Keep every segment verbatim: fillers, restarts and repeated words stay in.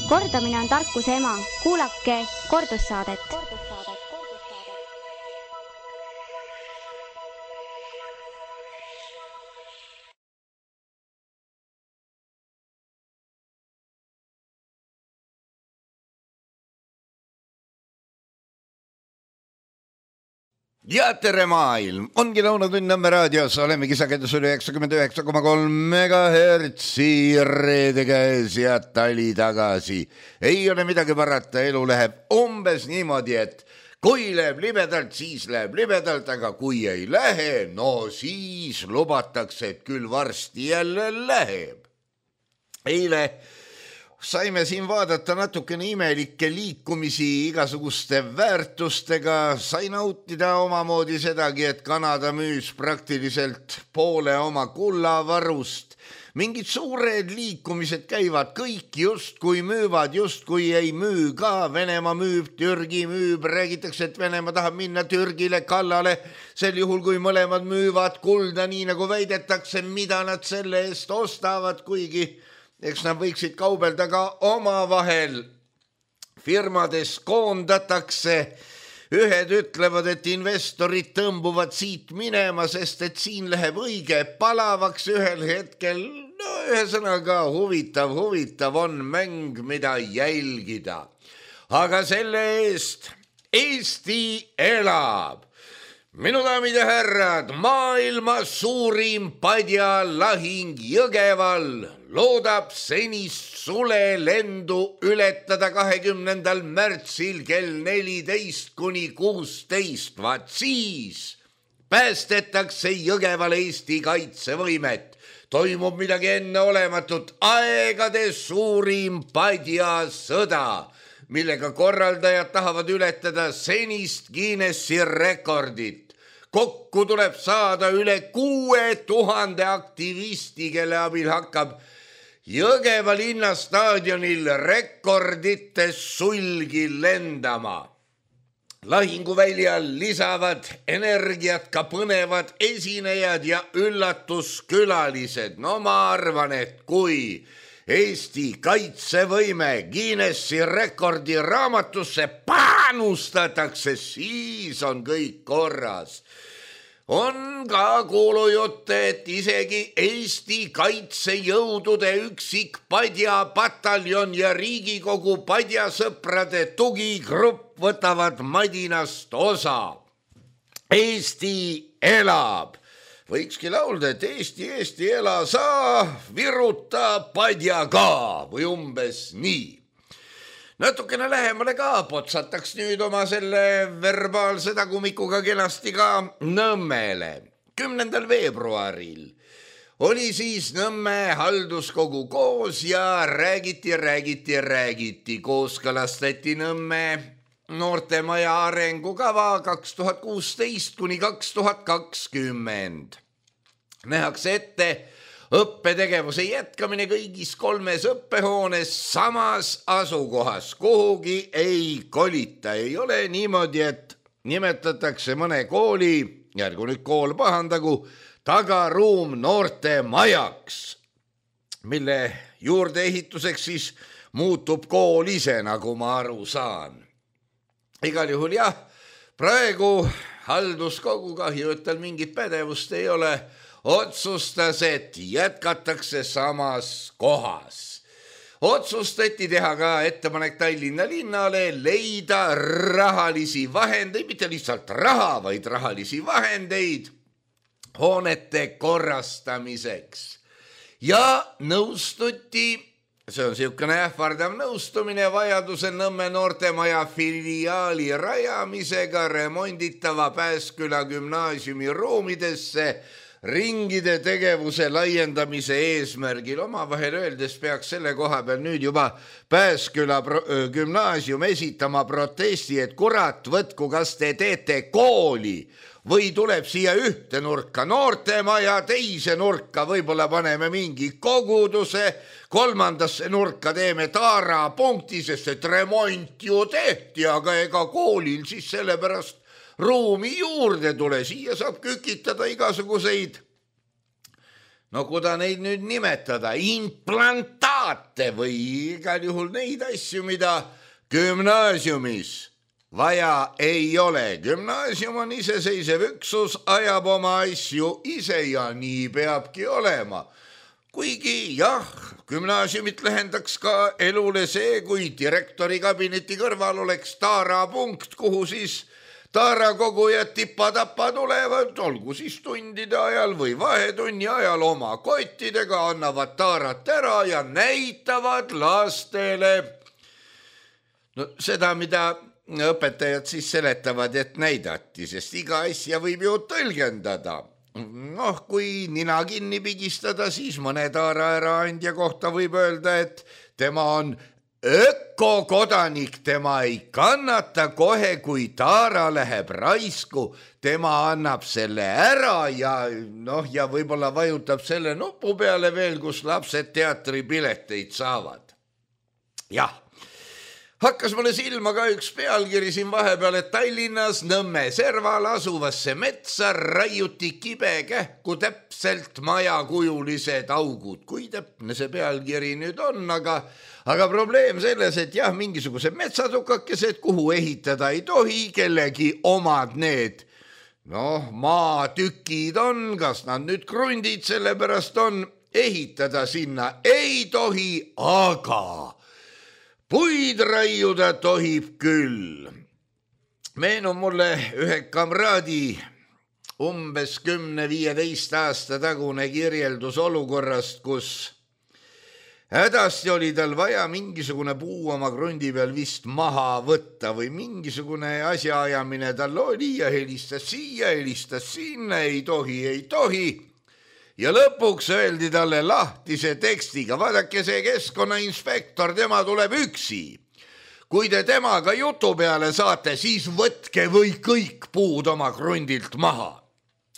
Kordamine on tarkuse ema. Kuulake kordussaadet. Ja tere maailm, ongi Lõunatund Nõmme raadios, olemegi sagedusel üheksakümmend üheksa koma kolm megahertsi reede käes ja tali tagasi. Ei ole midagi parata, elu läheb umbes niimoodi, et kui läheb libedalt, siis läheb libedalt, aga kui ei lähe, no siis lubatakse, et küll varsti jälle läheb. Eile saime siin vaadata natukene imelikke liikumisi igasuguste väärtustega, sai nautida omamoodi sedagi, et Kanada müüs praktiliselt poole oma kullavarust. Mingid suured liikumised käivad, kõik justkui müüvad, justkui ei müü ka. Venemaa müüb, Türgi müüb, räägitakse, et Venemaa tahab minna Türgile kallale. Sel juhul, kui mõlemad müüvad kulda, nii nagu väidetakse, mida nad selle eest ostavad, kuigi eks nad võiksid kaubelda ka omavahel. Firmades koondatakse. Ühed ütlevad, et investorid tõmbuvad siit minema, sest et siin läheb õige palavaks ühel hetkel. No ühesõnaga huvitav, huvitav on mäng, mida jälgida. Aga selle eest Eesti elab. Minu daamid ja härrad, maailma suurim padjalahing Jõgeval loodab senist sulelendu ületada kahekümnendal märtsil kell neliteist kuni kuusteist. Vaat siis päästetakse Jõgeval Eesti kaitsevõimet. Toimub midagi enneolematut, aegade suurim padjasõda, millega korraldajad tahavad ületada senist Guinessi rekordit. Kokku tuleb saada üle kuue tuhande aktivisti, kelle abil hakkab Jõgeva linnastaadionil rekordite sulgi lendama. Lahinguväljal lisavad energiat ka põnevad esinejad ja üllatuskülalised. No ma arvan, et kui Eesti kaitsevõime Guinessi rekordi raamatusse panustatakse, siis on kõik korras. On ka kuulujutte, et isegi Eesti kaitsejõudude üksik padjapataljon ja Riigikogu padjasõprade tugigrupp võtavad madinast osa. Eesti elab. Võikski laulda, et Eesti, Eesti ela sa, viruta padja ka või umbes nii. Natukene lähemale ka potsataks nüüd oma selle verbaalse tagumikuga kenasti ka Nõmmele. kümnendal veebruaril oli siis Nõmme halduskogu koos ja räägiti, räägiti, räägiti. Kooskõlastati Nõmme noortemaja arengukava kaks tuhat kuusteist kuni kaks tuhat kakskümmend. Nähakse ette õppetegevuse jätkamine kõigis kolmes õppehoones samas asukohas. Kuhugi ei kolita. Ei ole niimoodi, et nimetatakse mõne kooli, järgu nüüd kool pahandagu, tagaruum noorte majaks, mille juurdeehituseks siis muutub kool ise, nagu ma aru saan. Igal juhul jah, praegu halduskogu, kahju, et tal mingit pädevust ei ole, otsustas, et jätkatakse samas kohas. Otsustati teha ka ettepanek Tallinna linnale leida rahalisi vahendeid, mitte lihtsalt raha, vaid rahalisi vahendeid hoonete korrastamiseks. Ja nõustuti, see on niisugune ähvardav nõustumine, vajaduse Nõmme noortemaja filiaali rajamisega remonditava Pääsküla gümnaasiumi ruumidesse ringide tegevuse laiendamise eesmärgil. Omavahel öeldes peaks selle koha peal nüüd juba Pääsküla gümnaasium esitama protesti, et kurat, võtku, kas te teete kooli või tuleb siia ühte nurka noortemaja, teise nurka võib-olla paneme mingi koguduse, kolmandasse nurka teeme taarapunkti, sest et remont ju tehti, aga ega koolil siis sellepärast ruumi juurde tule, siia saab kükitada igasuguseid, no kuda neid nüüd nimetada, implantaate teate või igal juhul neid asju, mida gümnaasiumis vaja ei ole. Gümnaasium on iseseisev üksus, ajab oma asju ise ja nii peabki olema. Kuigi jah, gümnaasiumit lähendaks ka elule see, kui direktori kabineti kõrval oleks taarapunkt, kuhu siis taarakogujad tipa-tapa tulevad, olgu siis tundide ajal või vahetunni ajal oma kottidega, annavad taarat ära ja näitavad lastele no, seda, mida õpetajad siis seletavad, et näidati, sest iga asja võib ju tõlgendada. Noh, kui nina kinni pigistada, siis mõne taara äraandja kohta võib öelda, et tema on ökokodanik, tema ei kannata kohe, kui taara läheb raisku, tema annab selle ära ja noh, ja võib-olla vajutab selle nupu peale veel, kus lapsed teatripileteid saavad. Jah. Hakkas mulle silma ka üks pealkiri siin vahepeal, et Tallinnas Nõmme serval asuvasse metsa raiuti kibe kähku täpselt majakujulised augud. Kui täpne see pealkiri nüüd on, aga, aga probleem selles, et jah, mingisugused metsatukakesed, kuhu ehitada ei tohi, kellegi omad need noh, maatükid on, kas nad nüüd krundid sellepärast on, ehitada sinna ei tohi, aga puid raiuda tohib küll. Meenub mulle ühe kamraadi umbes kümne viieteist aasta tagune kirjeldus olukorrast, kus hädasti oli tal vaja mingisugune puu oma krundi peal vist maha võtta või mingisugune asjaajamine tal oli ja helistas siia, helistas sinna, ei tohi, ei tohi. Ja lõpuks öeldi talle lahtise tekstiga, vaadake see keskkonnainspektor, tema tuleb üksi. Kui te temaga jutu peale saate, siis võtke või kõik puud oma krundilt maha.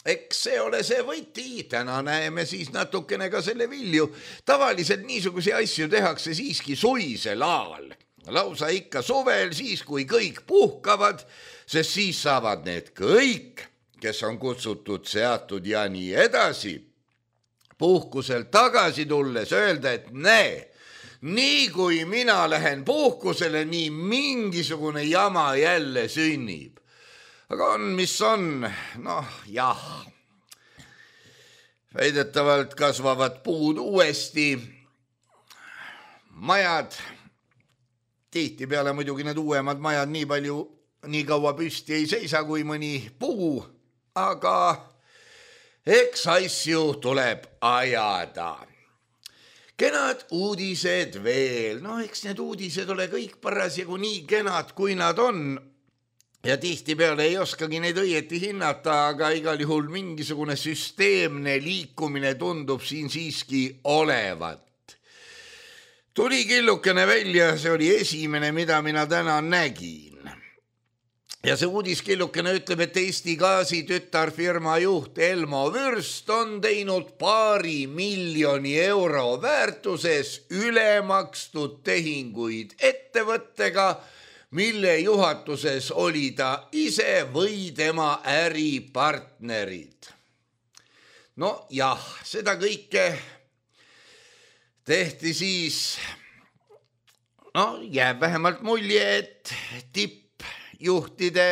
Eks see ole see võti, täna näeme siis natukene ka selle vilju. Tavaliselt niisuguse asju tehakse siiski suisel ajal. Lausa ikka suvel, siis kui kõik puhkavad, sest siis saavad need kõik, kes on kutsutud, seatud ja nii edasi, puhkuselt tagasi tulles öelda, et näe, nii kui mina lähen puhkusele, nii mingisugune jama jälle sünnib. Aga on, mis on, noh jah, väidetavalt kasvavad puud uuesti, majad, tihtipeale muidugi need uuemad majad nii palju, nii kaua püsti ei seisa kui mõni puu, aga eks asju tuleb ajada. Kenad uudised veel. No eks need uudised ole kõik parasjagu nii kenad, kui nad on. Ja tihti peale ei oskagi neid õieti hinnata, aga igal juhul mingisugune süsteemne liikumine tundub siin siiski olevat. Tuli killukene välja, see oli esimene, mida mina täna nägin. Ja see uudiskillukene ütleb, et Eesti Gaasi tütarfirma juht Elmo Vürst on teinud paari miljoni euro väärtuses ülemakstud tehinguid ettevõttega, mille juhatuses oli ta ise või tema äripartnerid. No jah, seda kõike tehti siis, no jääb vähemalt mulje, et tipp juhtide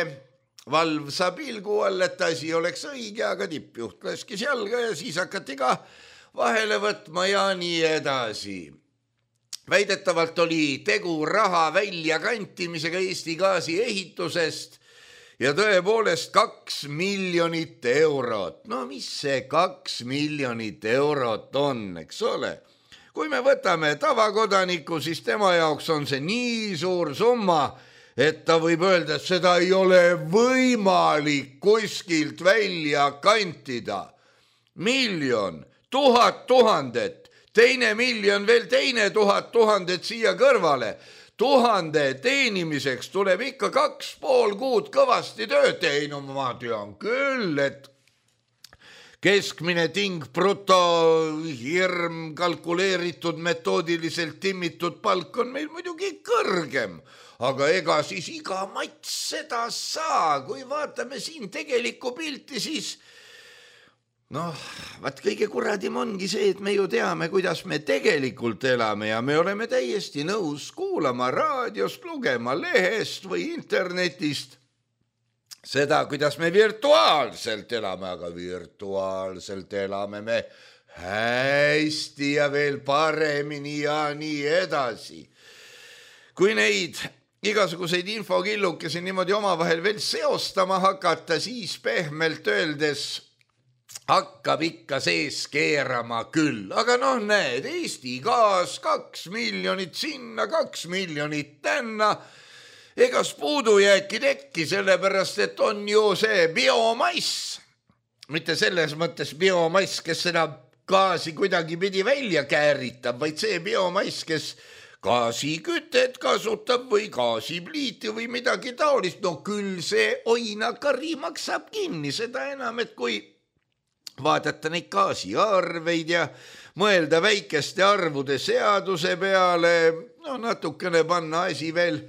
valvsa pilgu all, et asi oleks õige, aga tippjuht laskis jalga ja siis hakati ka vahele võtma ja nii edasi. Väidetavalt oli tegu raha väljakantimisega Eesti Gaasi ehitusest ja tõepoolest kaks miljonit eurot. No mis see kaks miljonit eurot on, eks ole? Kui me võtame tavakodaniku, siis tema jaoks on see nii suur summa, et ta võib öelda, et seda ei ole võimalik kuskilt välja kantida. Miljon, tuhat tuhandet, teine miljon, veel teine tuhat tuhandet siia kõrvale. Tuhande teenimiseks tuleb ikka kaks pool kuud kõvasti tööd. Ei, no ma tean küll, et keskmine ting bruto hirm kalkuleeritud metoodiliselt timmitud palk on meil muidugi kõrgem. Aga ega siis iga mats seda saa, kui vaatame siin tegelikku pilti, siis Noh, vaat kõige kuradim ongi see, et me ju teame, kuidas me tegelikult elame ja me oleme täiesti nõus kuulama raadiost, lugema lehest või internetist seda, kuidas me virtuaalselt elame, aga virtuaalselt elame me hästi ja veel paremini ja nii edasi. Kui neid igasuguseid infokillukesi niimoodi omavahel veel seostama hakata, siis pehmelt öeldes hakkab ikka sees keerama küll. Aga noh, näed, Eesti Gaas, kaks miljonit sinna, kaks miljonit tänna. Egas puudujääki tekki, sellepärast, et on ju see biomass. Mitte selles mõttes biomass, kes seda gaasi kuidagi pidi välja kääritab, vaid see biomass, kes gaasikütet kasutab või gaasipliiti või midagi taolist. No küll see oinakari maksab kinni, seda enam, et kui vaadata neid gaasiarveid ja mõelda väikeste arvude seaduse peale, no natukene panna asi veel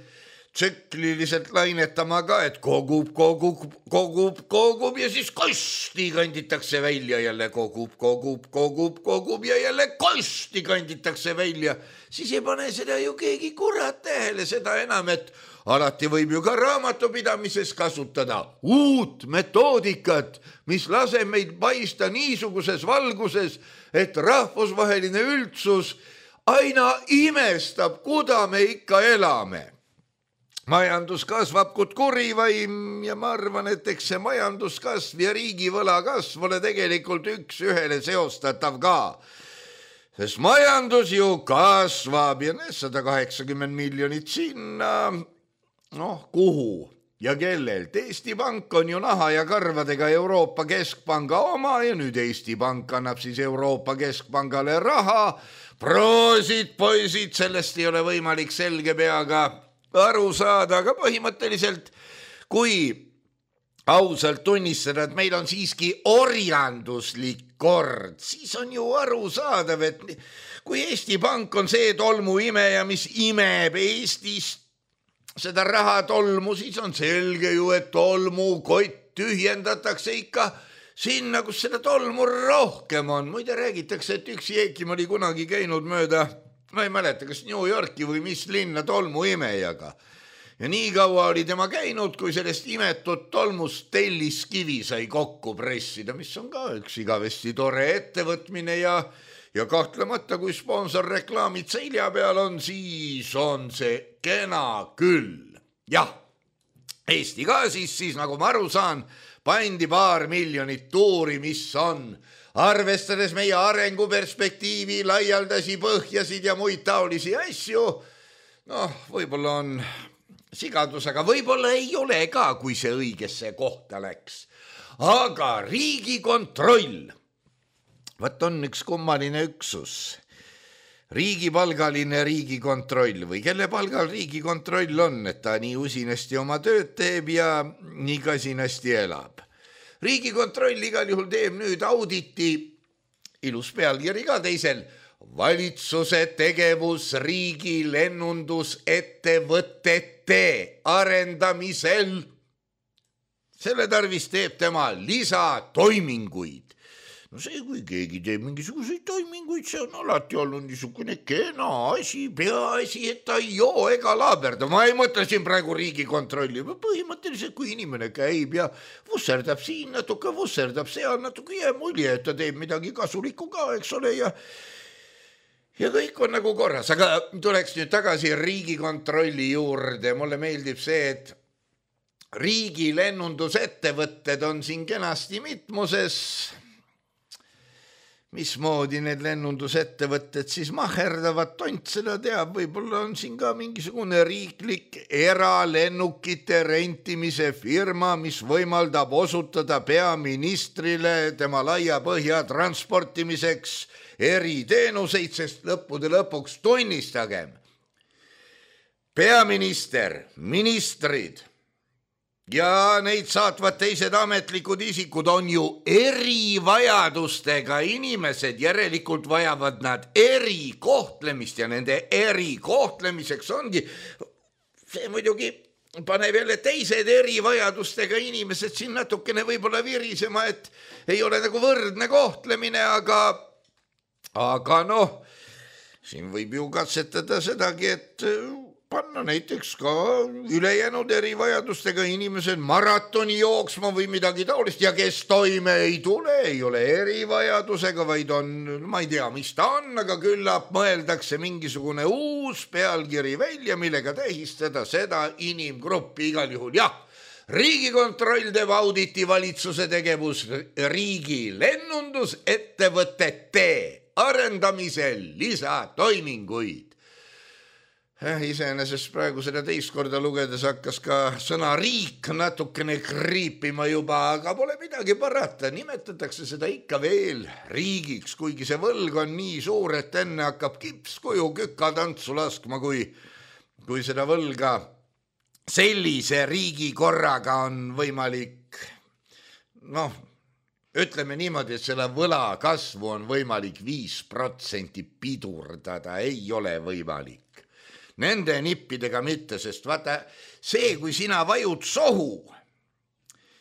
tsükliliselt lainetama ka, et kogub, kogub, kogub, kogub ja siis kosti kanditakse välja, jälle kogub, kogub, kogub, kogub ja jälle kosti kanditakse välja. Siis ei pane seda ju keegi kurat tähele, seda enam, et alati võib ju ka raamatupidamises kasutada uut metoodikat, mis laseb meid paista niisuguses valguses, et rahvusvaheline üldsus aina imestab, kuda me ikka elame. Majandus kasvab kui kurivaim ja ma arvan, et eks see majanduskasv ja riigivõla kasv ole tegelikult üks ühele seostatav ka. Sest majandus ju kasvab ja sada kaheksakümmend miljonit sinna. Noh, kuhu ja kellelt? Eesti Pank on ju naha ja karvadega Euroopa Keskpanga oma ja nüüd Eesti Pank annab siis Euroopa Keskpangale raha. Proosid, poisid, sellest ei ole võimalik selge peaga aru saada, aga põhimõtteliselt, kui ausalt tunnistada, et meil on siiski orjanduslik kord, siis on ju aru saadav, et kui Eesti Pank on see tolmuimeja, mis imeb Eestist seda raha tolmu, siis on selge ju, et tolmukott tühjendatakse ikka sinna, kus seda tolmu rohkem on. Muide räägitakse, et üks Jeekim oli kunagi käinud mööda, ma ei mäleta, kas New Yorki või mis linna tolmuimejaga. Ja nii kaua oli tema käinud, kui sellest imetud tolmust telliskivi sai kokku pressida, mis on ka üks igavesti tore ettevõtmine ja Ja kahtlemata, kui sponsorreklaamid selja peal on, siis on see kena küll. Jah, Eesti Gaasis siis, nagu ma aru saan, pandi paar miljonit tuuri, mis on, arvestades meie arenguperspektiivi, laialdasi põhjasid ja muid taolisi asju. Noh, võib-olla on sigadus, aga võib-olla ei ole ka, kui see õigesse kohta läks. Aga Riigikontroll, vaat on üks kummaline üksus, riigipalgaline Riigikontroll või kelle palgal Riigikontroll on, et ta nii usinasti oma tööd teeb ja nii kasinasti elab. Riigikontroll igal juhul teeb nüüd auditi, ilus pealkiri ka teisel, valitsuse tegevus riigi lennundusettevõtete arendamisel. Selle tarvis teeb tema lisatoiminguid. No see, kui keegi teeb mingisuguseid toiminguid, see on alati olnud niisugune kena asi, peaasi, et ta ei joo ega laaberda. Ma ei mõtle siin praegu Riigikontrolli, põhimõtteliselt kui inimene käib ja vusserdab siin natuke, vusserdab seal natuke ja mulje, et ta teeb midagi kasulikku ka, eks ole, ja, ja kõik on nagu korras. Aga tuleks nüüd tagasi Riigikontrolli juurde. Mulle meeldib see, et riigi lennundusettevõtted on siin kenasti mitmuses. Mismoodi need lennundusettevõtted siis maherdavad, tont seda teab, võib-olla on siin ka mingisugune riiklik eralennukite rentimise firma, mis võimaldab osutada peaministrile tema laia põhja transportimiseks eriteenuseid, sest lõppude lõpuks tunnistagem. Peaminister, ministrid ja neid saatvad teised ametlikud isikud on ju erivajadustega inimesed, järelikult vajavad nad erikohtlemist ja nende erikohtlemiseks ongi, see muidugi paneb jälle teised erivajadustega inimesed siin natukene võib-olla virisema, et ei ole nagu võrdne kohtlemine, aga, aga noh, siin võib ju katsetada sedagi, et panna näiteks ka ülejäänud erivajadustega inimesed maratoni jooksma või midagi taolist ja kes toime ei tule, ei ole erivajadusega, vaid on, ma ei tea, mis ta on, aga küllap mõeldakse mingisugune uus pealkiri välja, millega tähistada seda inimgruppi igal juhul. Jah, Riigikontroll teeb auditi valitsuse tegevus riigi lennundusettevõtete arendamisel lisatoiminguid. Iseenesest praegu seda teist korda lugedes hakkas ka sõna riik natukene kriipima juba, aga pole midagi parata, nimetatakse seda ikka veel riigiks, kuigi see võlg on nii suur, et enne hakkab kipskuju kükatantsu laskma, kui, kui seda võlga sellise riigi korraga on võimalik, noh, ütleme niimoodi, et selle võla kasvu on võimalik viis protsenti pidurdada, ei ole võimalik. Nende nippidega mitte, sest vaata see, kui sina vajud sohu,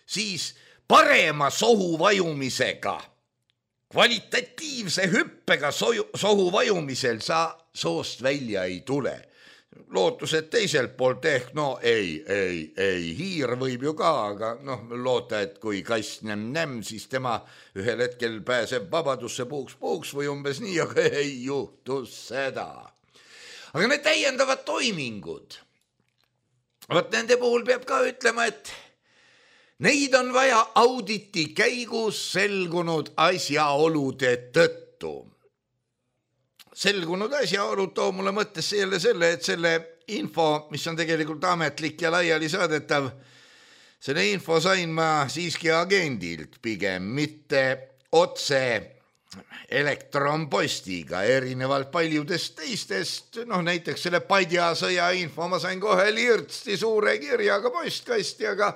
siis parema sohu vajumisega, kvalitatiivse hüppega soju, sohu vajumisel sa soost välja ei tule. Lootused teiselt poolt ehk, no ei, ei, ei, hiir võib ju ka, aga noh, loota, et kui kass nem-nem, siis tema ühel hetkel pääseb vabadusse puuks-puuks või umbes nii, aga ei juhtu seda. Aga need täiendavad toimingud, võt nende puhul peab ka ütlema, et neid on vaja auditi käigus selgunud asjaolude tõttu. Selgunud asjaolud too mulle mõttesse jälle selle, et selle info, mis on tegelikult ametlik ja laiali saadetav, selle info sain ma siiski agendilt pigem, mitte otse elektronpostiga, erinevalt paljudest teistest, noh näiteks selle padjasõja info ma sain kohe lirtsti suure kirjaga postkasti, aga,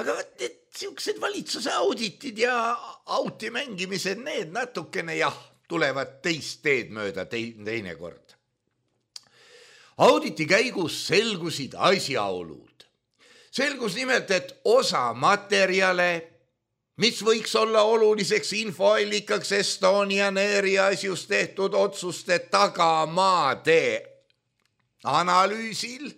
aga võt need siuksed valitsuse auditid ja auti mängimised, need natukene jah, tulevad teist teed mööda teine kord. Auditi käigus selgusid asjaolud. Selgus nimelt, et osa materjale, mis võiks olla oluliseks infoallikaks Estonian Airi asjus tehtud otsuste tagamaade analüüsil,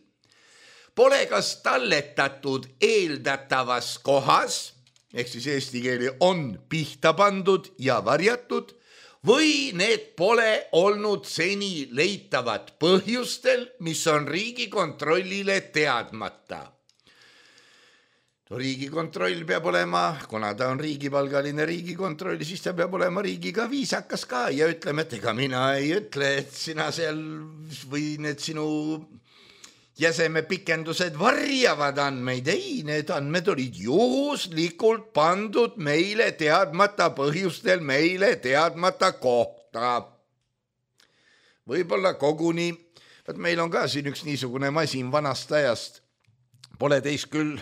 pole kas talletatud eeldatavas kohas, ehk siis eesti keeli on pihta pandud ja varjatud, või need pole olnud seni leitavad põhjustel, mis on Riigikontrollile teadmata. Riigikontroll peab olema, kuna ta on riigipalgaline riigikontroll, siis ta peab olema riigiga viisakas ka ja ütleme, et ega mina ei ütle, et sina seal või need sinu jäseme pikendused varjavad andmeid. Ei, need andmed olid juhuslikult pandud meile teadmata põhjustel, meile teadmata kohta. Võib-olla koguni, et meil on ka siin üks niisugune masin vanast ajast, pole teist küll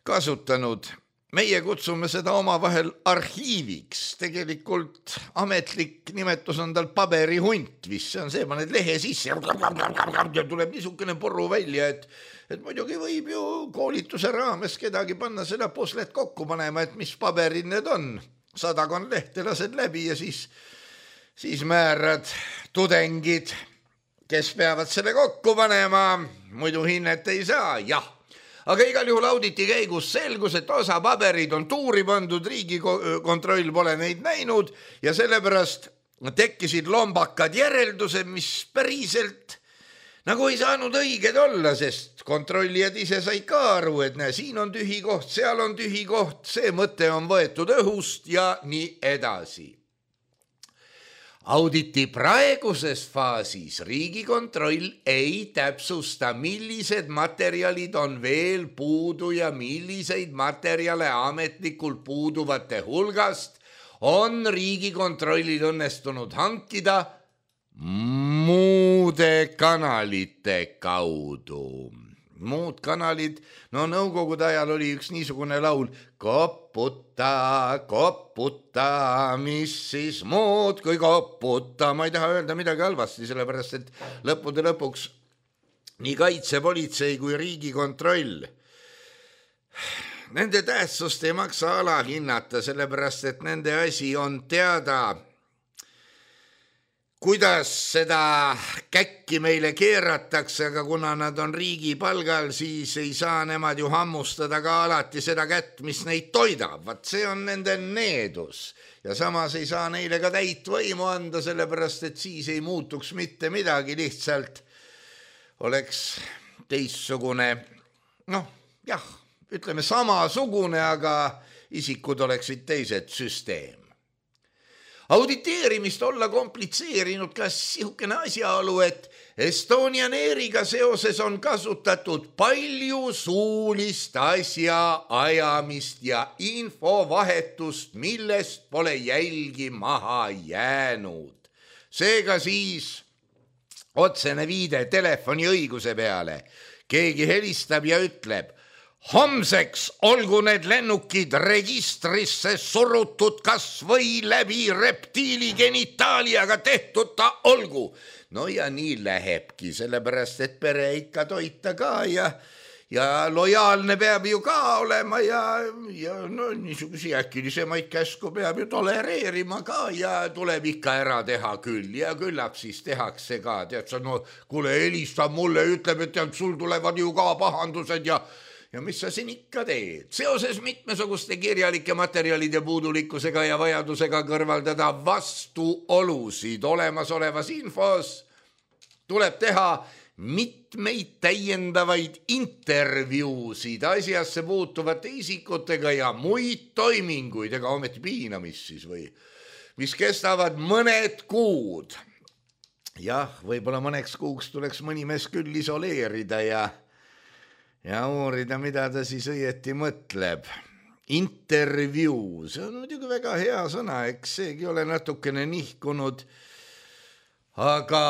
kasutanud. Meie kutsume seda omavahel arhiiviks. Tegelikult ametlik nimetus on tal paberihunt, mis see on see, paned lehe sisse ja tuleb niisugune porru välja, et, et muidugi võib ju koolituse raames kedagi panna seda puslet kokku panema, et mis paberid need on. Sadakon lehte lased läbi ja siis, siis määrad tudengid, kes peavad selle kokku panema, muidu hinnet ei saa, jah. Aga igal juhul auditi käigus selgus, et osa paberid on tuuri pandud, Riigikontroll pole neid näinud ja sellepärast tekkisid lombakad järeldused, mis päriselt nagu ei saanud õiged olla, sest kontrollijad ise said ka aru, et näe, siin on tühi koht, seal on tühi koht, see mõte on võetud õhust ja nii edasi. Auditi praeguses faasis Riigikontroll ei täpsusta, millised materjalid on veel puudu ja milliseid materjale ametlikult puuduvate hulgast on Riigikontrollil õnnestunud hankida muude kanalite kaudu. Muud kanalid, no nõukogude ajal oli üks niisugune laul, koputa, koputa, mis siis muud kui koputa. Ma ei taha öelda midagi halvasti, sellepärast et lõppude lõpuks nii kaitsepolitsei kui Riigikontroll. Nende tähtsust ei maksa alahinnata, sellepärast et nende asi on teada, kuidas seda käkki meile keeratakse, aga kuna nad on riigi palgal, siis ei saa nemad ju hammustada ka alati seda kätt, mis neid toidab. Vat see on nende needus. Ja samas ei saa neile ka täit võimu anda, sellepärast et siis ei muutuks mitte midagi, lihtsalt oleks teistsugune, noh, jah, ütleme samasugune, aga isikud oleksid teised süsteem. Auditeerimist olla komplitseerinud ka sihukene asjaolu, et Estonian Airiga seoses on kasutatud palju suulist asja ajamist ja infovahetust, millest pole jälgi maha jäänud. Seega siis otsene viide telefoni õiguse peale. Keegi helistab ja ütleb, homseks olgu need lennukid registrisse surutud kas või läbi reptiili genitaaliaga tehtud ta olgu. No ja nii lähebki, sellepärast et pere ikka toita ka ja, ja lojaalne peab ju ka olema ja, ja no, niisugusi äkilisemaid käsku peab ju tolereerima ka ja tuleb ikka ära teha küll ja küllap siis tehakse ka. Tead sa, no kuule, helistab mulle, ütleb, et tead, sul tulevad ju ka pahandused ja Ja mis sa siin ikka teed? Seoses mitmesuguste kirjalike materjalide puudulikkusega ja vajadusega kõrvaldada vastuolusid olemasolevas infos tuleb teha mitmeid täiendavaid intervjuusid asjasse puutuvate isikutega ja muid toiminguid, ega ometi piinamist siis või, mis kestavad mõned kuud. Jah, võib-olla mõneks kuuks tuleks mõni mees küll isoleerida ja Ja uurida, mida ta siis õieti mõtleb. Intervjuu, see on muidugi väga hea sõna, eks seegi ole natukene nihkunud. Aga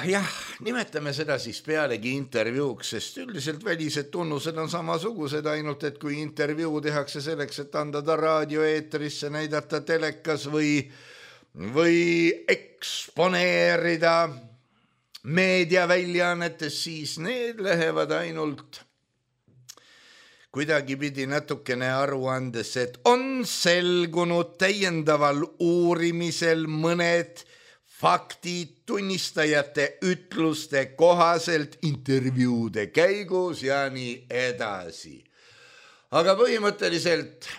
jah, nimetame seda siis pealegi intervjuuks, sest üldiselt välised tunnused on samasugused, ainult et kui intervjuu tehakse selleks, et anda ta raadioeetrisse, näidata telekas või, või eksponeerida meediaväljaannetes, siis need lähevad ainult kuidagi pidi natukene aruandes, et on selgunud täiendaval uurimisel mõned faktid tunnistajate ütluste kohaselt intervjuude käigus ja nii edasi. Aga põhimõtteliselt,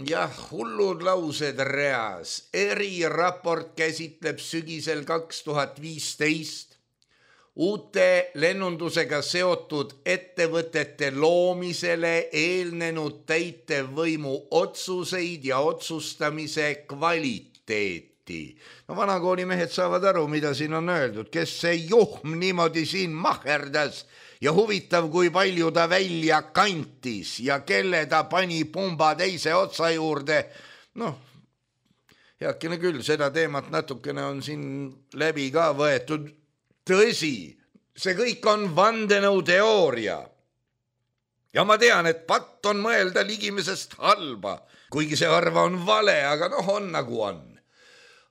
jah, hullud laused reas. Eriraport käsitleb sügisel kaks tuhat viisteist uute lennundusega seotud ettevõtete loomisele eelnenud täitevvõimu otsuseid ja otsustamise kvaliteeti. No vanakooli mehed saavad aru, mida siin on öeldud, kes see juhm niimoodi siin maherdas ja huvitav, kui palju ta välja kantis ja kelle ta pani pumba teise otsa juurde. Noh, heakene küll, seda teemat natukene on siin läbi ka võetud. Tõsi, see kõik on vandenõuteooria. Ja ma tean, et patt on mõelda ligimisest halba, kuigi see harva on vale, aga noh, on nagu on.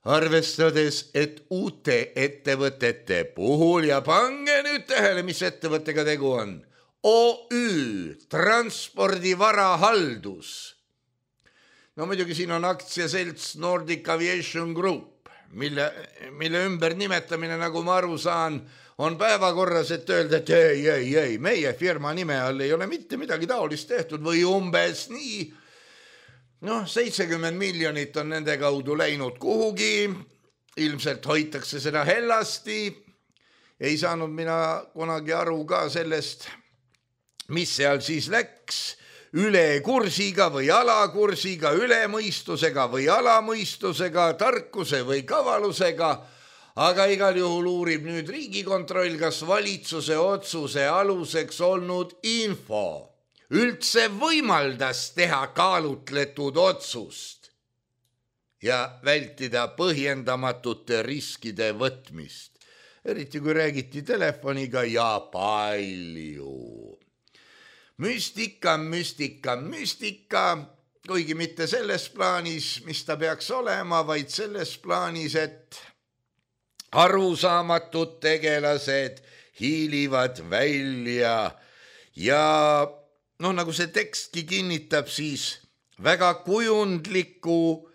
Arvestades, et uute ettevõtete puhul, ja pange nüüd tähele, mis ettevõttega tegu on, O Ü, transpordivarahaldus. No muidugi siin on aktsiaselts Nordic Aviation Group, Mille, mille ümber nimetamine, nagu ma aru saan, on päevakorras, et öelda, et ei, ei, ei, meie firma nime all ei ole mitte midagi taolist tehtud või umbes nii. Noh, seitsekümmend miljonit on nende kaudu läinud kuhugi, ilmselt hoitakse seda hellasti. Ei saanud mina kunagi aru ka sellest, mis seal siis läks. Üle kursiga või alakursiga, üle mõistusega või alamõistusega, tarkuse või kavalusega, aga igal juhul uurib nüüd Riigikontroll, kas valitsuse otsuse aluseks olnud info üldse võimaldas teha kaalutletud otsust ja vältida põhjendamatute riskide võtmist, eriti kui räägiti telefoniga ja palju. Müstika, müstika, müstika, kuigi mitte selles plaanis, mis ta peaks olema, vaid selles plaanis, et arusaamatud tegelased hiilivad välja ja noh, nagu see tekstki kinnitab, siis väga kujundliku,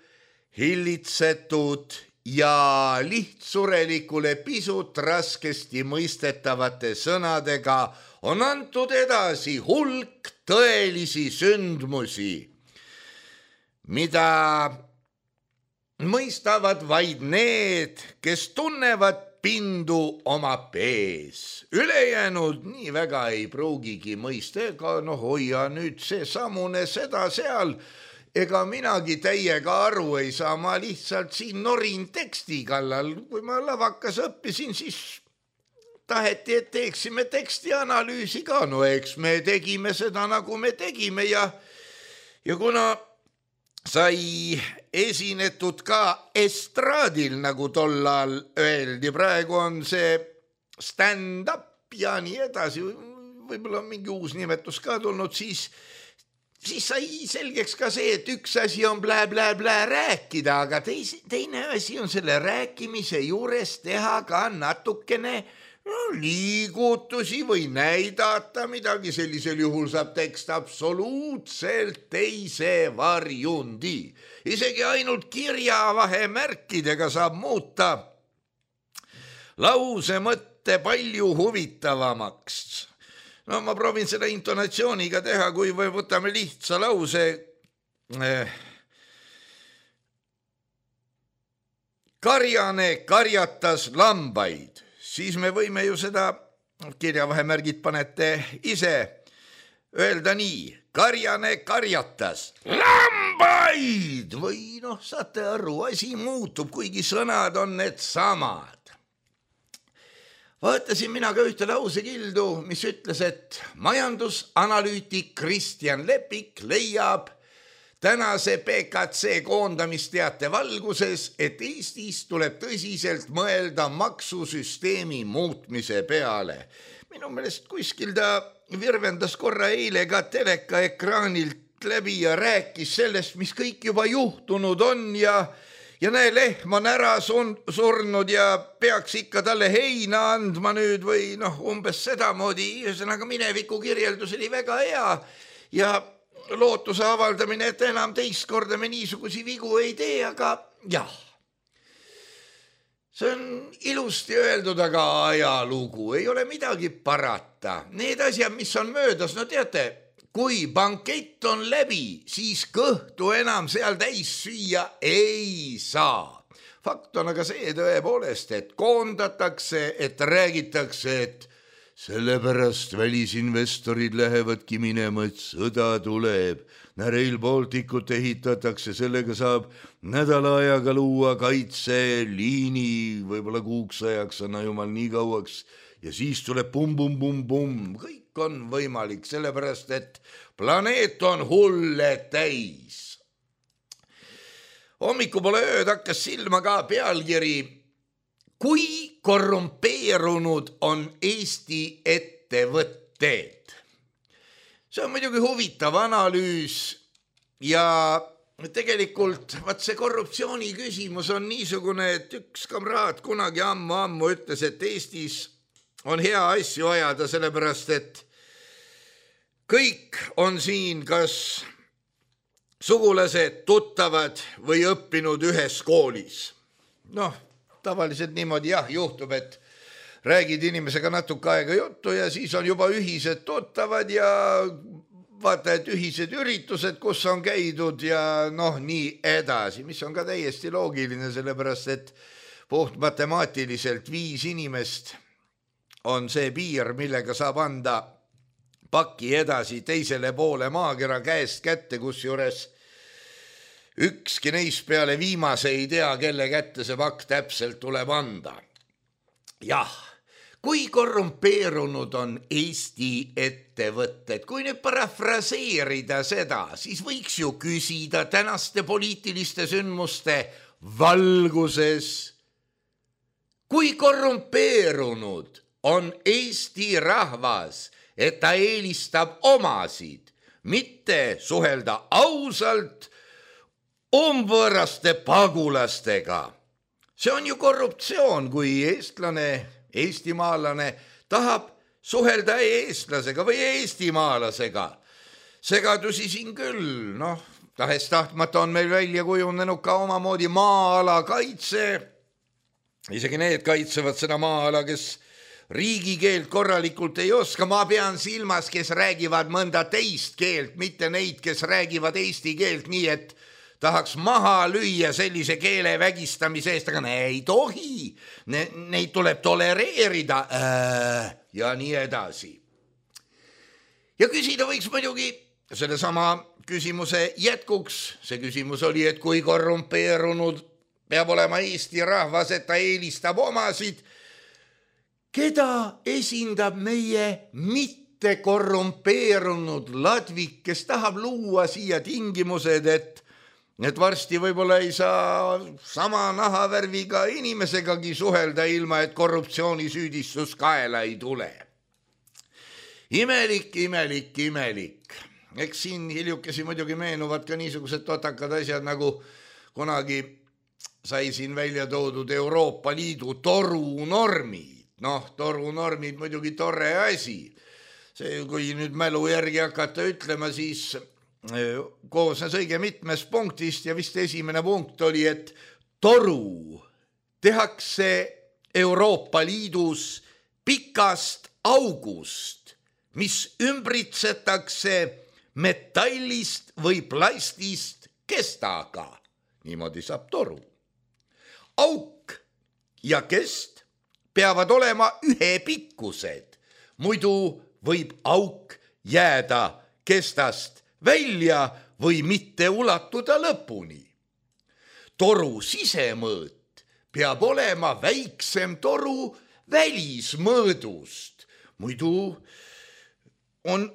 hillitsetud ja lihtsurelikule pisut raskesti mõistetavate sõnadega on antud edasi hulk tõelisi sündmusi, mida mõistavad vaid need, kes tunnevad pindu oma pees. Ülejäänud nii väga ei pruugigi mõista, ega noh, hoia nüüd see samune seda seal, ega minagi täiega aru ei saa, ma lihtsalt siin norin teksti kallal. Kui ma lavakas õppisin, siis taheti, et teeksime teksti analüüsi ka. No eks me tegime seda, nagu me tegime ja, ja kuna sai esinetud ka estraadil, nagu tollal öeldi, praegu on see stand-up ja nii edasi, võib-olla mingi uus nimetus ka tulnud, siis, siis sai selgeks ka see, et üks asi on blä-blä-blä rääkida, aga teis, teine asi on selle rääkimise juures teha ka natukene no, liigutusi või näidata midagi. Sellisel juhul saab tekst absoluutselt teise varjundi. Isegi ainult kirjavahemärkidega saab muuta lause mõtte palju huvitavamaks. No ma proovin seda intonatsiooniga teha, kui või võtame lihtsa lause. Karjane karjatas lambaid. Siis me võime ju seda, kirjavahemärgid panete ise, öelda nii, karjane karjatas lambaid või noh, saate aru, asi muutub, kuigi sõnad on need samad. Vaatasin mina ka ühte lausekildu, mis ütles, et majandusanalüütik Kristjan Lepik leiab tänase P K C koondamisteate valguses, et Eestis tuleb tõsiselt mõelda maksusüsteemi muutmise peale. Minu meelest kuskil ta virvendas korra eile ka teleka ekraanilt läbi ja rääkis sellest, mis kõik juba juhtunud on ja, ja näe, lehm on ära surnud ja peaks ikka talle heina andma nüüd või noh, umbes sedamoodi. Ühesõnaga mineviku kirjeldus oli väga hea ja lootuse avaldamine, et enam teist korda me niisugusi vigu ei tee, aga jah, see on ilusti öeldud, aga ajalugu ei ole midagi parata. Need asjad, mis on möödas, no teate, kui bankett on läbi, siis kõhtu enam seal täis süüa ei saa. Fakt on aga see tõepoolest, et koondatakse, et räägitakse, et sellepärast välisinvestorid lähevadki minema, et sõda tuleb. Rail Balticut ehitatakse, sellega saab nädala ajaga luua kaitseliini, võib-olla kuuks ajaks, anna jumal nii kauaks, ja siis tuleb pum-pum-pum-pum. Kõik on võimalik, sellepärast et planeet on hulle täis. Hommiku pole ööd hakkas silma ka pealkiri, kui korrumpeerunud on Eesti ettevõtted. See on muidugi huvitav analüüs ja tegelikult vaat see korruptsiooni küsimus on niisugune, et üks kamraad kunagi ammu-ammu ütles, et Eestis on hea asju ajada, sellepärast et kõik on siin kas sugulased, tuttavad või õppinud ühes koolis. Noh, tavaliselt niimoodi jah, juhtub, et räägid inimesega natuke aega juttu ja siis on juba ühised tuttavad ja vaata, et ühised üritused, kus on käidud ja noh, nii edasi, mis on ka täiesti loogiline, sellepärast et puht matemaatiliselt viis inimest on see piir, millega saab anda paki edasi teisele poole maakera käest kätte, kus juures ükski neist peale viimase ei tea, kelle kätte see pakk täpselt tuleb anda. Jah, kui korrumpeerunud on Eesti ettevõtted, kui nüüd parafraseerida seda, siis võiks ju küsida tänaste poliitiliste sündmuste valguses, kui korrumpeerunud on Eesti rahvas, et ta eelistab omasid, mitte suhelda ausalt umbvõõraste pagulastega. See on ju korruptsioon, kui eestlane, eestimaalane tahab suhelda eestlasega või eestimaalasega. Segadusi siin küll, noh, tahes tahtmata on meil välja kujunenud ka omamoodi maa-ala kaitse. Isegi need kaitsevad seda maa-ala, kes riigikeelt korralikult ei oska. Ma pean silmas, kes räägivad mõnda teist keelt, mitte neid, kes räägivad eesti keelt nii, et tahaks maha lüüa sellise keele vägistamise eest, aga ne ei tohi. Ne, neid tuleb tolereerida äh, ja nii edasi. Ja küsida võiks muidugi selle sama küsimuse jätkuks. See küsimus oli, et kui korrumpeerunud peab olema Eesti rahvas, et ta eelistab omasid, keda esindab meie mitte korrumpeerunud ladvik, kes tahab luua siia tingimused, et, et varsti võib-olla ei saa sama nahavärviga inimesegagi suhelda ilma, et korruptsioonisüüdistus kaela ei tule. Imelik, imelik, imelik. Eks siin hiljukesi muidugi meenuvad ka niisugused totakad asjad, nagu kunagi sai siin välja toodud Euroopa Liidu torunormid. Noh, torunormid muidugi tore asi. See, kui nüüd mälu järgi hakata ütlema, siis koosnes õige mitmest punktist ja vist esimene punkt oli, et toru tehakse Euroopa Liidus pikast august, mis ümbritsetakse metallist või plastist kestaga. Niimoodi saab toru. Auk ja kest peavad olema ühepikkused, muidu võib auk jääda kestast välja või mitte ulatuda lõpuni. Toru sisemõõt peab olema väiksem toru välismõõdust, muidu on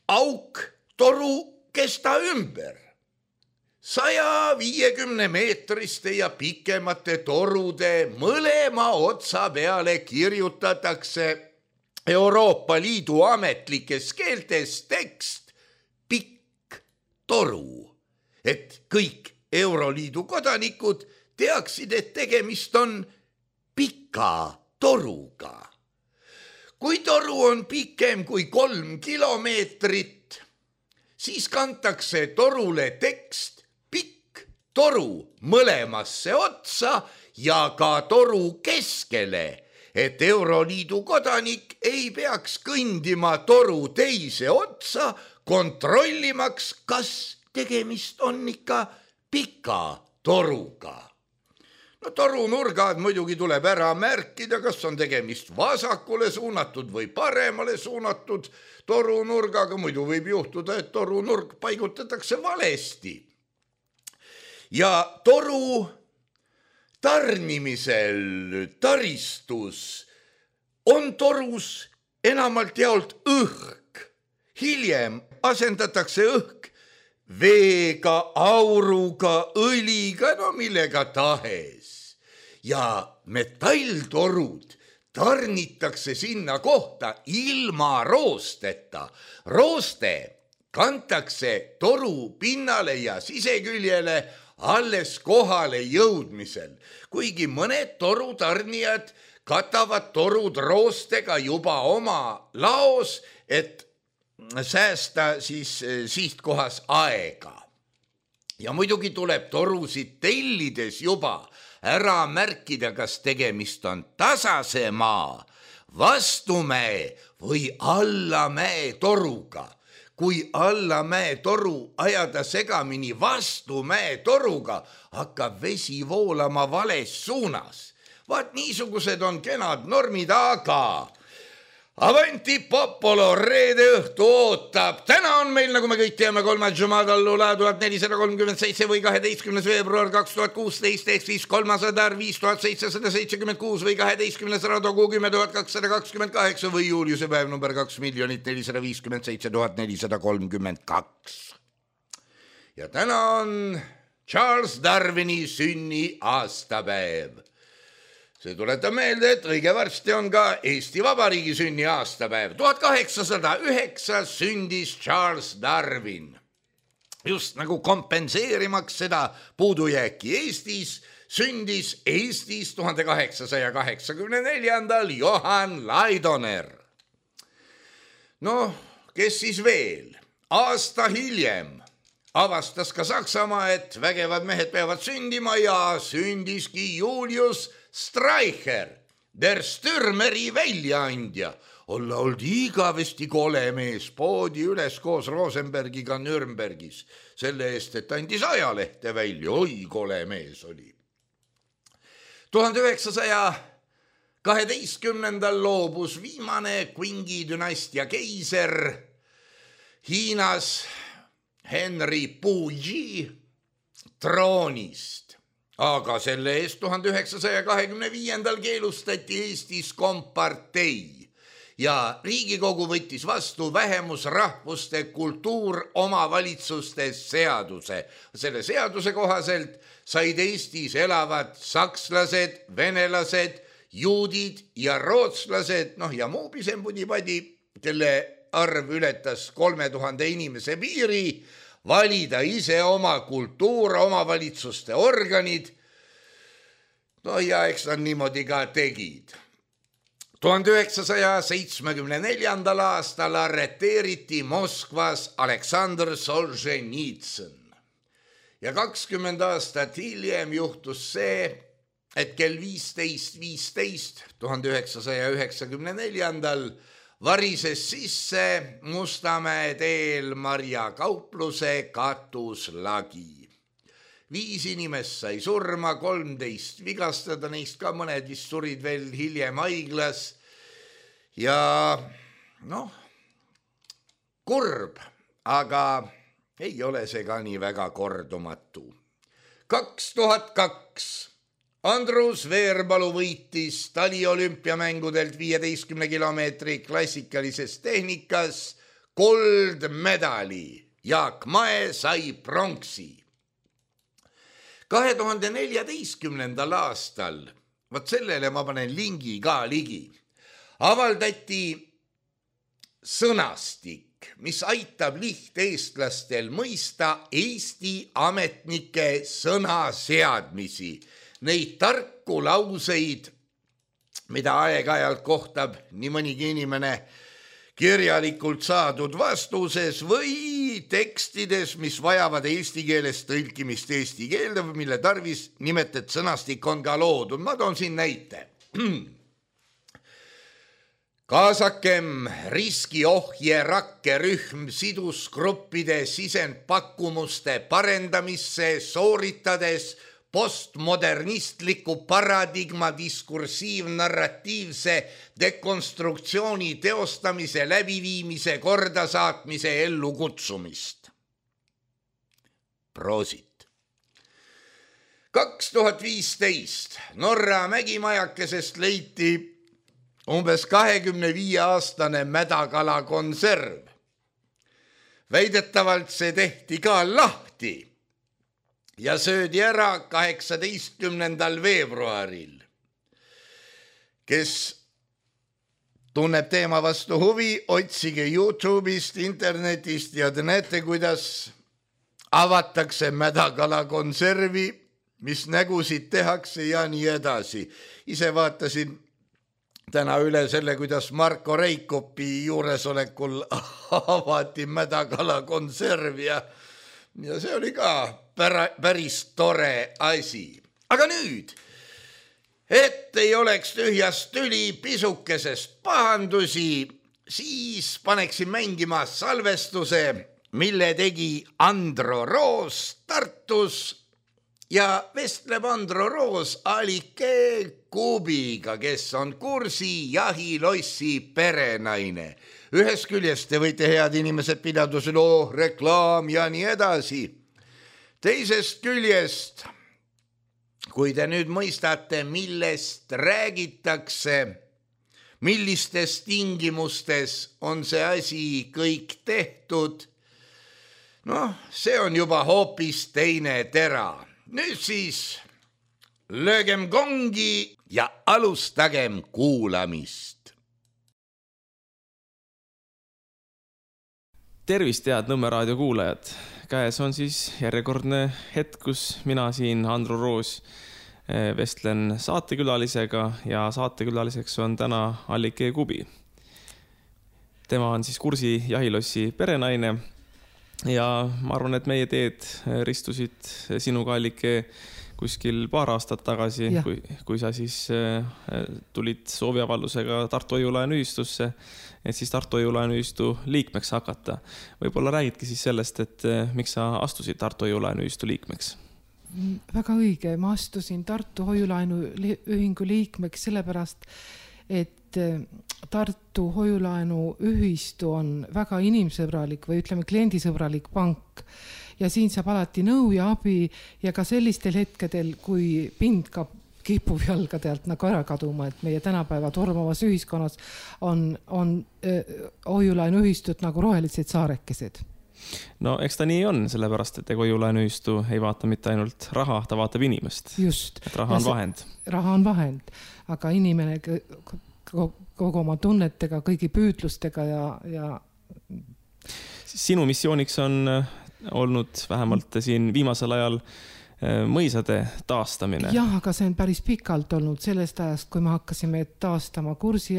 auk toru kesta ümber. saja viiekümne meetriste ja pikemate torude mõlema otsa peale kirjutatakse Euroopa Liidu ametlikes keeltes tekst pikk toru, et kõik Euroliidu kodanikud teaksid, et tegemist on pika toruga. Kui toru on pikem kui kolm kilomeetrit, siis kantakse torule tekst toru mõlemasse otsa ja ka toru keskele, et Euroliidu kodanik ei peaks kõndima toru teise otsa, kontrollimaks, kas tegemist on ikka pika toruga. No torunurgad muidugi tuleb ära märkida, kas on tegemist vasakule suunatud või paremale suunatud torunurgaga, muidu võib juhtuda, et torunurg paigutatakse valesti. Ja toru tarnimisel taristus on torus enamalt jaolt õhk. Hiljem asendatakse õhk veega, auruga, õliga, no millega tahes. Ja metalltorud tarnitakse sinna kohta ilma roosteta. Rooste kantakse toru pinnale ja siseküljele alles kohale jõudmisel, kuigi mõned torutarnijad katavad torud roostega juba oma laos, et säästa siis sihtkohas aega. Ja muidugi tuleb torusid tellides juba ära märkida, kas tegemist on tasase maa, vastumäe või allamäe toruga. Kui allamäe toru ajada segamini vastumäe toruga, hakkab vesi voolama vales suunas. Vaat niisugused on kenad normid, aga Avanti Popolo reede õhtu ootab. Täna on meil, nagu me kõik teame, kolmas Jumadallula tuhat nelisada kolmkümmend seitse või kaheteistkümnes veebruar kaks tuhat kuusteist, ehk siis kolmas adar viis tuhat seitsesada seitsekümmend kuus või kaheteistkümnes radogu kümme tuhat kakssada kakskümmend kaheksa või juuliuse päev number kaks miljonit nelisada viiskümmend seitse tuhat nelisada kolmkümmend kaks. Ja täna on Charles Darwini sünni aastapäev. See tuletab meelde, et õige varsti on ka Eesti Vabariigi sünni aastapäev. tuhat kaheksasada üheksa sündis Charles Darwin. Just nagu kompenseerimaks seda puudujääki Eestis, sündis Eestis tuhande kaheksasaja kaheksakümne neljandal Johann Laidoner. Noh, kes siis veel? Aasta hiljem avastas ka Saksamaa, et vägevad mehed peavad sündima ja sündiski Julius Streicher, der Stürmeri väljaandja. Olla oldi igavesti kole mees, poodi üles koos Rosenbergiga Nürnbergis. Selle eest, et andis ajalehte välja, oi kole mees oli. tuhande üheksasaja kaheteistkümnendal loobus viimane Qingi dünastia keiser Hiinas Henry Puyi troonist. Aga selle eest tuhande üheksasaja kahekümne viiendal keelustati Eestis kompartei ja Riigikogu võttis vastu vähemusrahvuste kultuur omavalitsuste seaduse. Selle seaduse kohaselt said Eestis elavad sakslased, venelased, juudid ja rootslased, noh ja muu pisempudipadi, kelle arv ületas kolme tuhande inimese piiri, valida ise oma kultuur, omavalitsuste organid. No ja eks nad niimoodi ka tegid. tuhande üheksasaja seitsmekümne neljandal aastal arreteeriti Moskvas Aleksandr Solženitsõn. Ja kakskümmend aastat hiljem juhtus see, et kell viisteist viisteist tuhande üheksasaja üheksakümne neljandal varises sisse Mustamäe teel Marja kaupluse katuslagi. Viis inimest sai surma, kolmteist vigastada, neist ka mõned vist surid veel hiljem haiglas. Ja noh, kurb, aga ei ole see ka nii väga kordumatu. kaks tuhat kaks Andrus Veerpalu võitis taliolümpiamängudelt viieteistkümne kilomeetri klassikalises tehnikas kuldmedali. Jaak Mae sai pronksi. kahe tuhande neljateistkümnendal aastal, vaat sellele ma panen lingi ka ligi, avaldati sõnastik, mis aitab lihteestlastel mõista Eesti ametnike sõnaseadmisi, neid tarku lauseid, mida aeg-ajalt kohtab nii mõnigi inimene kirjalikult saadud vastuses või tekstides, mis vajavad eesti keelest tõlkimist eesti keelde, mille tarvis nimetet sõnastik on ka loodud. Ma toon siin näite. Kaasakem riskiohje rakkerühm sidusgruppide sisendpakkumuste parendamisse, sooritades postmodernistliku paradigma diskursiivnarratiivse dekonstruktsiooni teostamise, läbiviimise, kordasaatmise, ellu kutsumist. Proosit. kaks tuhat viisteist Norra mägimajakesest leiti umbes kahekümne viie aastane mädakala konserv. Väidetavalt see tehti ka lahti ja söödi ära kaheksateistkümnendal veebruaril. Kes tunneb teema vastu huvi, otsige YouTube'ist, internetist ja te näete, kuidas avatakse mädakala konservi, mis nägusid tehakse ja nii edasi. Ise vaatasin täna üle selle, kuidas Marko Reikopi juuresolekul avati mädakala konserv ja, ja see oli ka päris tore asi. Aga nüüd, et ei oleks tühjast tüli, pisukesest pahandusi, siis paneksin mängima salvestuse, mille tegi Andro Roos Tartus ja vestleb Andro Roos Alike Kubiga, kes on Kursi jahilossi perenaine. Ühest küljest te võite head inimesed pidaduse loo, reklaam ja nii edasi. Teisest küljest, kui te nüüd mõistate, millest räägitakse, millistes tingimustes on see asi kõik tehtud, noh, see on juba hoopis teine tera. Nüüd siis löögem kongi ja alustagem kuulamist. Tervist, head Nõmme raadio kuulajad! Käes on siis järjekordne hetk, kus mina siin, Andro Roos, vestlen saatekülalisega ja saatekülaliseks on täna Allike Kubi. Tema on siis Kursi jahilossi perenaine ja ma arvan, et meie teed ristusid sinuga, Allike, kuskil paar aastat tagasi, kui, kui sa siis tulid sooviavaldusega Tartu Hoiu-laenuühistusse, et siis Tartu Hoiu-laenuühistu liikmeks hakata. Võib-olla räägidki siis sellest, et miks sa astusid Tartu Hoiu-laenuühistu liikmeks? Väga õige, ma astusin Tartu Hoiu-laenuühingu liikmeks sellepärast, et Tartu Hoiu-laenuühistu on väga inimsõbralik või ütleme kliendisõbralik pank ja siin saab alati nõu ja abi ja ka sellistel hetkedel, kui pind ka kipub jalgade alt nagu ära kaduma, et meie tänapäeva tormavas ühiskonnas on, on hoiu-laenuühistud nagu rohelised saarekesed. No eks ta nii on, sellepärast, et hoiu-laenuühistu ei vaata mitte ainult raha, ta vaatab inimest. Just. Et raha on vahend. Raha on vahend, aga inimene kogu oma tunnetega, kõigi püüdlustega ja, ja... Sinu missiooniks on olnud vähemalt siin viimasel ajal mõisade taastamine. Jah, aga see on päris pikalt olnud sellest ajast, kui me hakkasime taastama Kursi,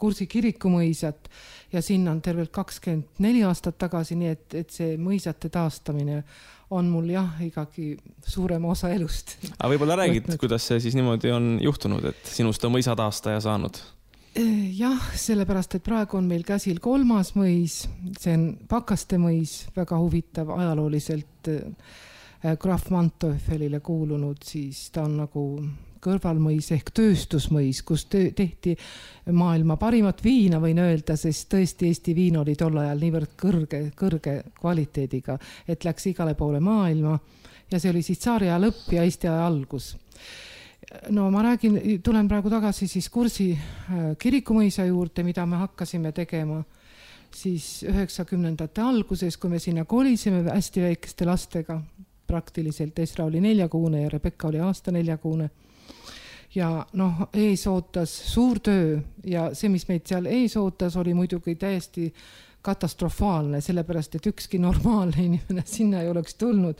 Kursi kirikumõisat ja sinna on tervelt kakskümmend neli aastat tagasi, nii et, et see mõisate taastamine on mul jah, igagi suurem osa elust. Aga võib-olla räägid, võtnud. Kuidas see siis niimoodi on juhtunud, et sinust on mõisa taastaja saanud? Jah, sellepärast, et praegu on meil käsil kolmas mõis, see on Pakaste mõis, väga huvitav ajalooliselt Graf Manteuffelile kuulunud, siis ta on nagu kõrvalmõis ehk tööstusmõis, kus tehti maailma parimat viina, võin öelda, sest tõesti Eesti viin oli tol ajal niivõrd kõrge, kõrge kvaliteediga, et läks igale poole maailma ja see oli siis tsaariaja lõpp ja Eesti aja algus. No ma räägin, tulen praegu tagasi siis Kursi kirikumõisa juurde, mida me hakkasime tegema siis üheksakümnendate alguses, kui me sinna kolisime hästi väikeste lastega, praktiliselt Esra oli neljakuune ja Rebecca oli aasta neljakuune. Ja noh, ees ootas suur töö ja see, mis meid seal ees ootas, oli muidugi täiesti katastrofaalne, sellepärast, et ükski normaalne inimene sinna ei oleks tulnud.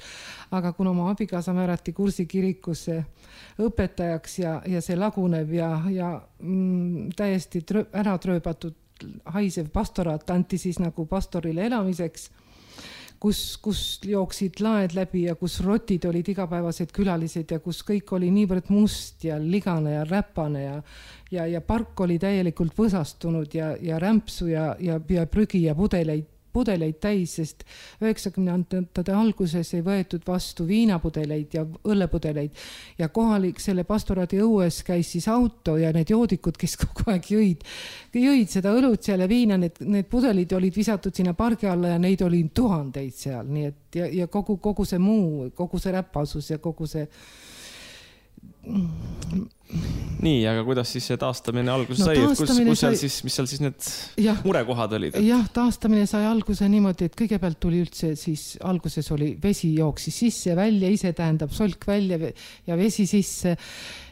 Aga kuna oma abikaasa määrati Kursi kirikusse õpetajaks ja, ja see laguneb ja, ja mm, täiesti trö, ära trööbatud haisev pastoraat anti siis nagu pastorile elamiseks, kus, kus jooksid laed läbi ja kus rotid olid igapäevased külalised ja kus kõik oli niivõrd must ja ligane ja räpane ja, ja, ja park oli täielikult võsastunud ja, ja rämpsu ja, ja, ja prügi ja pudeleid, pudeleid täis, sest üheksakümnendate alguses ei võetud vastu viinapudeleid ja õllepudeleid ja kohalik selle pastoraadi õues käis siis auto ja need joodikud, kes kogu aeg jõid, jõid seda õlut seal ja viina, need, need pudelid olid visatud sinna pargi alla ja neid oli tuhandeid seal, nii et ja, ja kogu, kogu see muu, kogu see räpasus ja kogu see Nii, aga kuidas siis see taastamine alguse no, sai? Kus, kus seal sai... siis, mis seal siis need ja, murekohad olid? Et... Jah, taastamine sai alguse niimoodi, et kõigepealt tuli üldse siis alguses oli vesi jooksis sisse ja välja, ise tähendab solk välja ja vesi sisse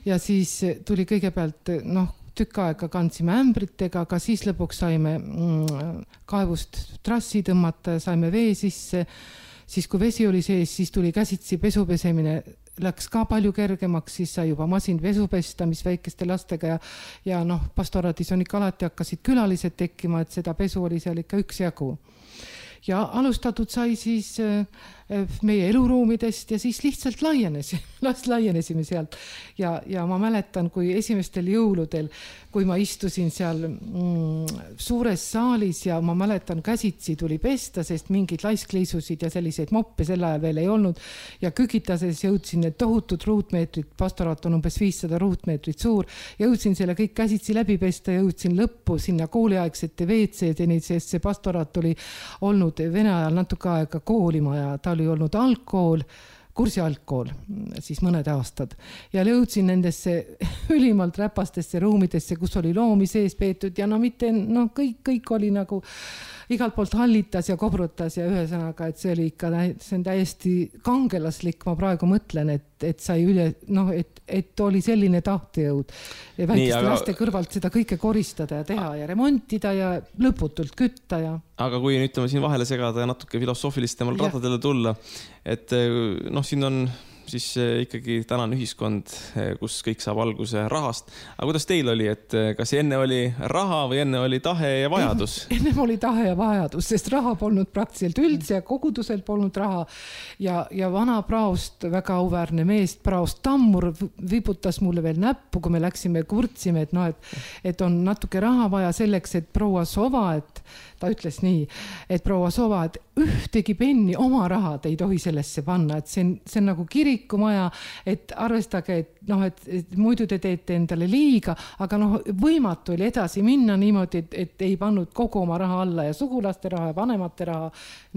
ja siis tuli kõigepealt noh, tükk aega kandsime ämbritega, aga siis lõpuks saime mm, kaevust trassi tõmmata ja saime vee sisse. Siis kui vesi oli sees, siis tuli käsitsi pesupesemine läks ka palju kergemaks, siis sai juba masin pesu pesta, mis väikeste lastega ja, ja noh, pastoraadis on ikka alati hakkasid külalised tekkima, et seda pesu oli seal ikka üks jagu. Ja alustatud sai siis meie eluruumidest ja siis lihtsalt laienes, laienesime sealt. Ja, ja ma mäletan, kui esimestel jõuludel, kui ma istusin seal mm, suures saalis ja ma mäletan, käsitsi tuli pesta, sest mingid laiskliisusid ja selliseid moppe sel ajal veel ei olnud. Ja kükitases jõudsin need tohutud ruutmeetrid, pastoraat on umbes viissada ruutmeetrit suur, jõudsin selle kõik käsitsi läbi pesta, jõudsin lõppu sinna kooliaegsete veetseedeni, sest see pastoraat oli olnud Vene ajal natuke aega koolimaja, ta oli olnud algkool, Kursi algkool, siis mõned aastad. Ja jõudsin nendesse ülimalt räpastesse ruumidesse, kus oli loomi sees peetud ja no mitte, no kõik, kõik oli nagu igalt poolt hallitas ja kobrutas ja ühesõnaga, et see oli ikka, see on täiesti kangelaslik, ma praegu mõtlen, et, et sai üle, noh, et, et oli selline tahtejõud ja väikeste aga... laste kõrvalt seda kõike koristada ja teha ja remontida ja lõputult kütta ja... Aga kui ütleme siin vahele segada ja natuke filosoofilist temal radadele tulla, et noh, siin on siis ikkagi tänane ühiskond, kus kõik saab alguse rahast. Aga kuidas teil oli, et kas enne oli raha või enne oli tahe ja vajadus? Ennem oli tahe ja vajadus, sest raha polnud praktiliselt üldse ja kogudusel polnud raha. Ja, ja vana praost, väga auväärne meest, praost Tammur viputas mulle veel näppu, kui me läksime kurtsime, et, no, et, et on natuke raha vaja selleks, et proua Sova, et ta ütles nii, et proua Sova, et ühtegi penni oma rahad ei tohi sellesse panna, et see on, see on nagu kirikumaja, et arvestage, et, noh, et, et muidu te teete endale liiga, aga noh, võimatu oli edasi minna niimoodi, et, et ei pannud kogu oma raha alla ja sugulaste raha ja vanemate raha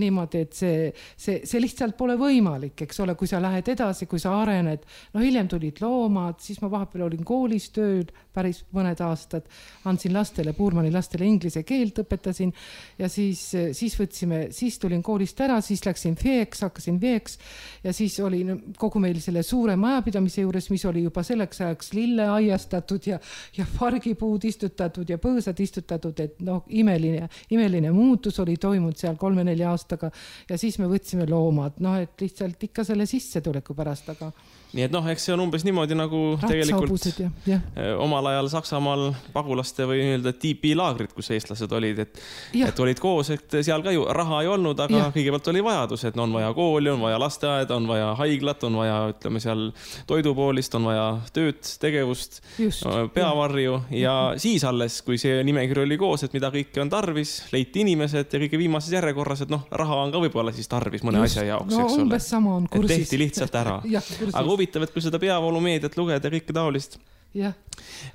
niimoodi, et see, see, see lihtsalt pole võimalik, eks ole, kui sa lähed edasi, kui sa arened, no hiljem tulid loomad, siis ma vahepeal olin koolis tööl päris mõned aastad, andsin lastele, Puurmani lastele inglise keelt õpetasin ja siis, siis võtsime, siis tulin koolist ära, siis läksin veeks, hakkasin veeks ja siis oli kogu meil selle suure majapidamise juures, mis oli juba selleks ajaks lille aiastatud ja, ja fargipuud istutatud ja põõsad istutatud, et noh, imeline, imeline muutus oli toimunud seal kolme-nelja aastaga ja siis me võtsime loomad, noh, et lihtsalt ikka selle sissetuleku pärast, aga nii et noh, eks see on umbes niimoodi nagu tegelikult ja, ja. omal ajal Saksamaal pagulaste või nii-öelda tiipilaagrid, kus eestlased olid, et, et olid koos, et seal ka ju raha ei olnud, aga ja. Kõigepealt oli vajadus, et no, on vaja kooli, on vaja lasteaed, on vaja haiglat, on vaja, ütleme seal toidupoolist, on vaja tööd, tegevust, Just, peavarju ja. ja siis alles, kui see nimekiri oli koos, et mida kõike on tarvis, leiti inimesed ja kõige viimases järjekorras, et noh, raha on ka võib-olla siis tarvis mõne Just, asja jaoks, no, eks ole. Sama on kursis. Et tehti lihtsalt ära. ja, aga huvitav, et kui seda peavoolumeediat lugeda ja kõike taolist ja.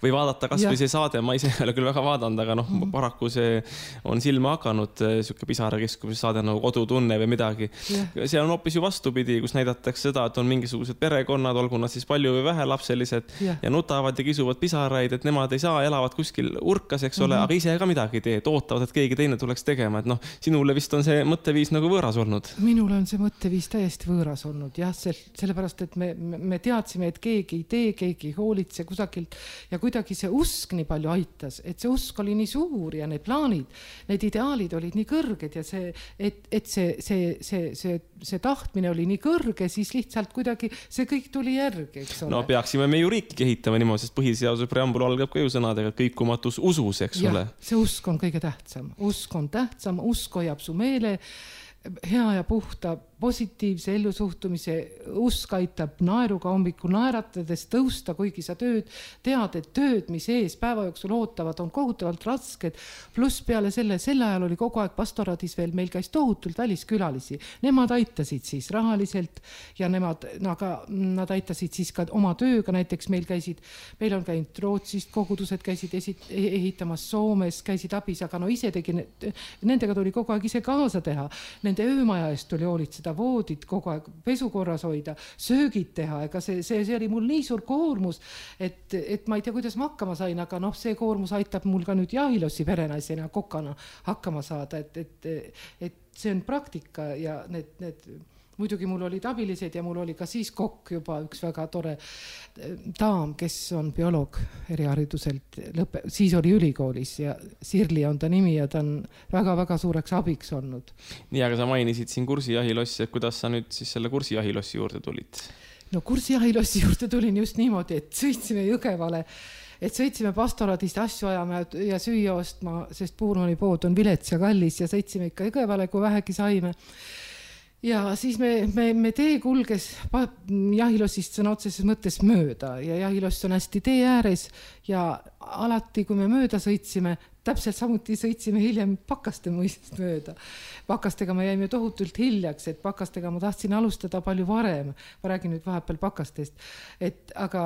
Või vaadata kas või see saade, ma ise ei ole küll väga vaadanud, aga noh, mm -hmm. paraku see on silma hakanud, siuke Pisarakeskuse saade nagu Kodutunne või midagi. Yeah. See on hoopis ju vastupidi, kus näidatakse seda, et on mingisugused perekonnad, olgu nad siis palju või vähe lapselised yeah. ja nutavad ja kisuvad pisaraid, et nemad ei saa, elavad kuskil urkas, eks ole, mm -hmm. aga ise ka midagi ei tee, ootavad, et keegi teine tuleks tegema, et noh, sinule vist on see mõtteviis nagu võõras olnud. Minule on see mõtteviis täiesti võõras olnud, jah, sellepärast, et me, me teadsime, et keegi ei tee, keegi ei hoolitse kusagilt ja kuidagi see usk nii palju aitas, et see usk oli nii suur ja need plaanid, need ideaalid olid nii kõrged ja see, et, et see, see, see, see, see tahtmine oli nii kõrge, siis lihtsalt kuidagi see kõik tuli järgi, eks ole. No peaksime me ju riiki ehitama niimoodi, sest põhiseaduse preambul algab ka ju sõnadega kõikumatus usus, eks ja, ole. See usk on kõige tähtsam, usk on tähtsam, usk hoiab su meele hea ja puhta positiivse ellusuhtumise, usk aitab naeruga hommikul naeratades tõusta, kuigi sa tööd tead, et tööd, mis ees päeva jooksul ootavad, on kohutavalt rasked, pluss peale selle, sel ajal oli kogu aeg pastoraadis veel, meil käis tohutult väliskülalisi, nemad aitasid siis rahaliselt ja nemad, aga nad aitasid siis ka oma tööga, näiteks meil käisid, meil on käinud Rootsist, kogudused käisid esit, ehitamas Soomes, käisid abis, aga no ise tegi, nendega tuli kogu aeg ise kaasa teha, nende öömaja eest tuli hoolitseda, voodid kogu aeg pesukorras hoida, söögid teha, ega see, see, see oli mul nii suur koormus, et, et ma ei tea, kuidas ma hakkama sain, aga noh, see koormus aitab mul ka nüüd Jahilossi perenaisena kokana hakkama saada, et, et, et see on praktika ja need, need muidugi mul olid abilised ja mul oli ka siis kokk juba üks väga tore daam, kes on bioloog erihariduselt, lõpe, siis oli ülikoolis ja Sirli on ta nimi ja ta on väga-väga suureks abiks olnud. Nii, aga sa mainisid siin kursijahilossi, et kuidas sa nüüd siis selle kursijahilossi juurde tulid? No kursijahilossi juurde tulin just niimoodi, et sõitsime Jõgevale, et sõitsime pastoraadist asju ajama ja süüa ostma, sest Puurmani pood on vilets ja kallis ja sõitsime ikka Jõgevale, kui vähegi saime. Ja siis me, me, me tee kulges Jahilossist sõna otseses mõttes mööda ja Jahiloss on hästi tee ääres ja alati, kui me mööda sõitsime, täpselt samuti sõitsime hiljem Pakaste mõisest mööda. Pakastega me jäime tohutult hiljaks, et Pakastega ma tahtsin alustada palju varem. Ma räägin nüüd vahepeal Pakastest. Et, aga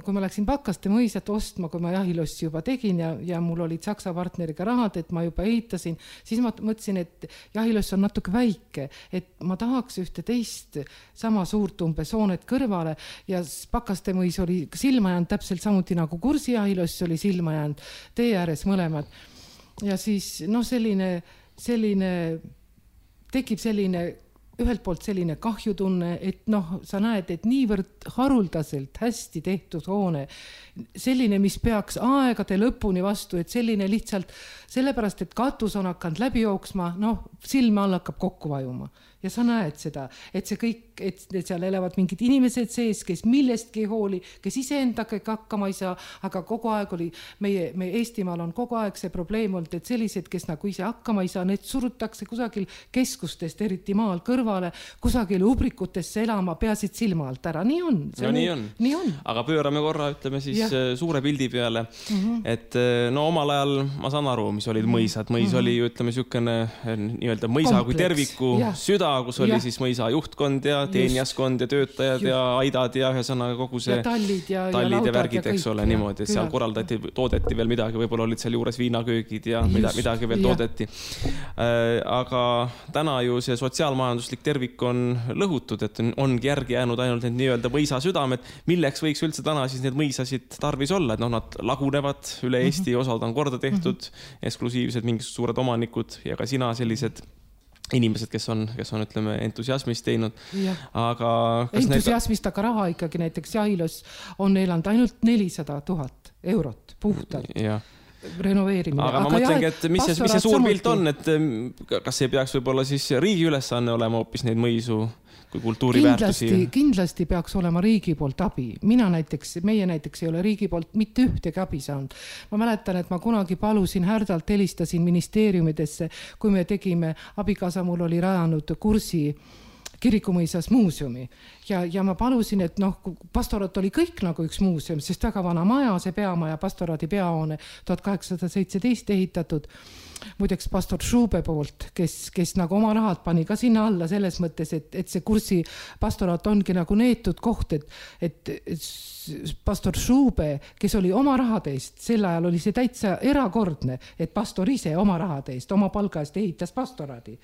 kui ma läksin Pakaste mõisat ostma, kui ma Jahilossi juba tegin ja, ja mul olid Saksa partneriga rahad, et ma juba ehitasin, siis ma mõtlesin, et Jahiloss on natuke väike, et ma tahaks ühte teist sama suurt umbes hoonet kõrvale ja Pakaste mõis oli silma jäänud täpselt samuti nagu Kursi Jahiloss oli silma jäänud tee ääres mõlemad. Ja siis noh, selline, selline, tekib selline, ühelt poolt selline kahjutunne, et noh, sa näed, et niivõrd haruldaselt hästi tehtud hoone, selline, mis peaks aegade lõpuni vastu, et selline lihtsalt sellepärast, et katus on hakanud läbi jooksma, noh, silme all hakkab kokku vajuma. ja sa näed seda, et see kõik, et seal elavad mingid inimesed sees, kes millestki ei hooli, kes iseendagi hakkama ei saa, aga kogu aeg oli, meie, meie Eestimaal on kogu aeg see probleem olnud, et sellised, kes nagu ise hakkama ei saa, need surutakse kusagil keskustest, eriti maal kõrvale, kusagil ubrikutesse elama, peasid silma alt ära. Nii on. No, nii on. nii on. Aga pöörame korra, ütleme siis ja. suure pildi peale, mm-hmm. et no omal ajal ma saan aru, mis olid mõisad. Mõis mm-hmm. oli ju, ütleme, sükene nii-öelda mõisa Kompleks. Kui terviku ja. Süda, kus oli ja. Siis mõisa juhtkond ja teenijaskond ja töötajad Just. Ja aidad ja ühesõnaga kogu see ja tallid ja, tallid ja, ja värgid, eks ole, niimoodi, et seal korraldati, toodeti veel midagi, võib-olla olid seal juures viinaköögid ja mida, midagi veel ja. Toodeti. Aga täna ju see sotsiaalmajanduslik tervik on lõhutud, et ongi järgi jäänud ainult need nii-öelda mõisa südamed, milleks võiks üldse täna siis need mõisasid tarvis olla, et noh, nad lagunevad üle Eesti, mm-hmm. osad on korda tehtud, mm-hmm. eksklusiivsed mingid suured omanikud ja ka sina sellised inimesed, kes on, kes on, ütleme, entusiasmist teinud. Ja. Aga entusiasmist, aga raha ikkagi näiteks Jahilos on elanud ainult nelisada tuhat eurot puhtalt. Ja. Renoveerimine. Aga ma aga mõtlengi, et mis see, mis see suur pilt on, et kas ei peaks võib-olla siis riigi ülesanne olema hoopis neid mõisu kui kultuuriväärtusi? Kindlasti, kindlasti peaks olema riigi poolt abi. Mina näiteks, meie näiteks ei ole riigi poolt mitte ühtegi abi saanud. Ma mäletan, et ma kunagi palusin härdalt, helistasin ministeeriumidesse, kui me tegime, abikaasa mul oli rajanud kursi Kirikumõisas muuseumi ja, ja ma palusin, et noh, pastorat oli kõik nagu üks muuseum, sest väga vana maja, see peamaja, pastoraadi peahoone tuhat kaheksasada seitseteist ehitatud. Muideks pastor Šube poolt, kes, kes nagu oma rahad pani ka sinna alla selles mõttes, et, et see kursi pastorat ongi nagu neetud koht, et, et, et pastor Šube, kes oli oma rahade eest, sel ajal oli see täitsa erakordne, et pastor ise oma rahade eest, oma palga eest ehitas pastoraadi.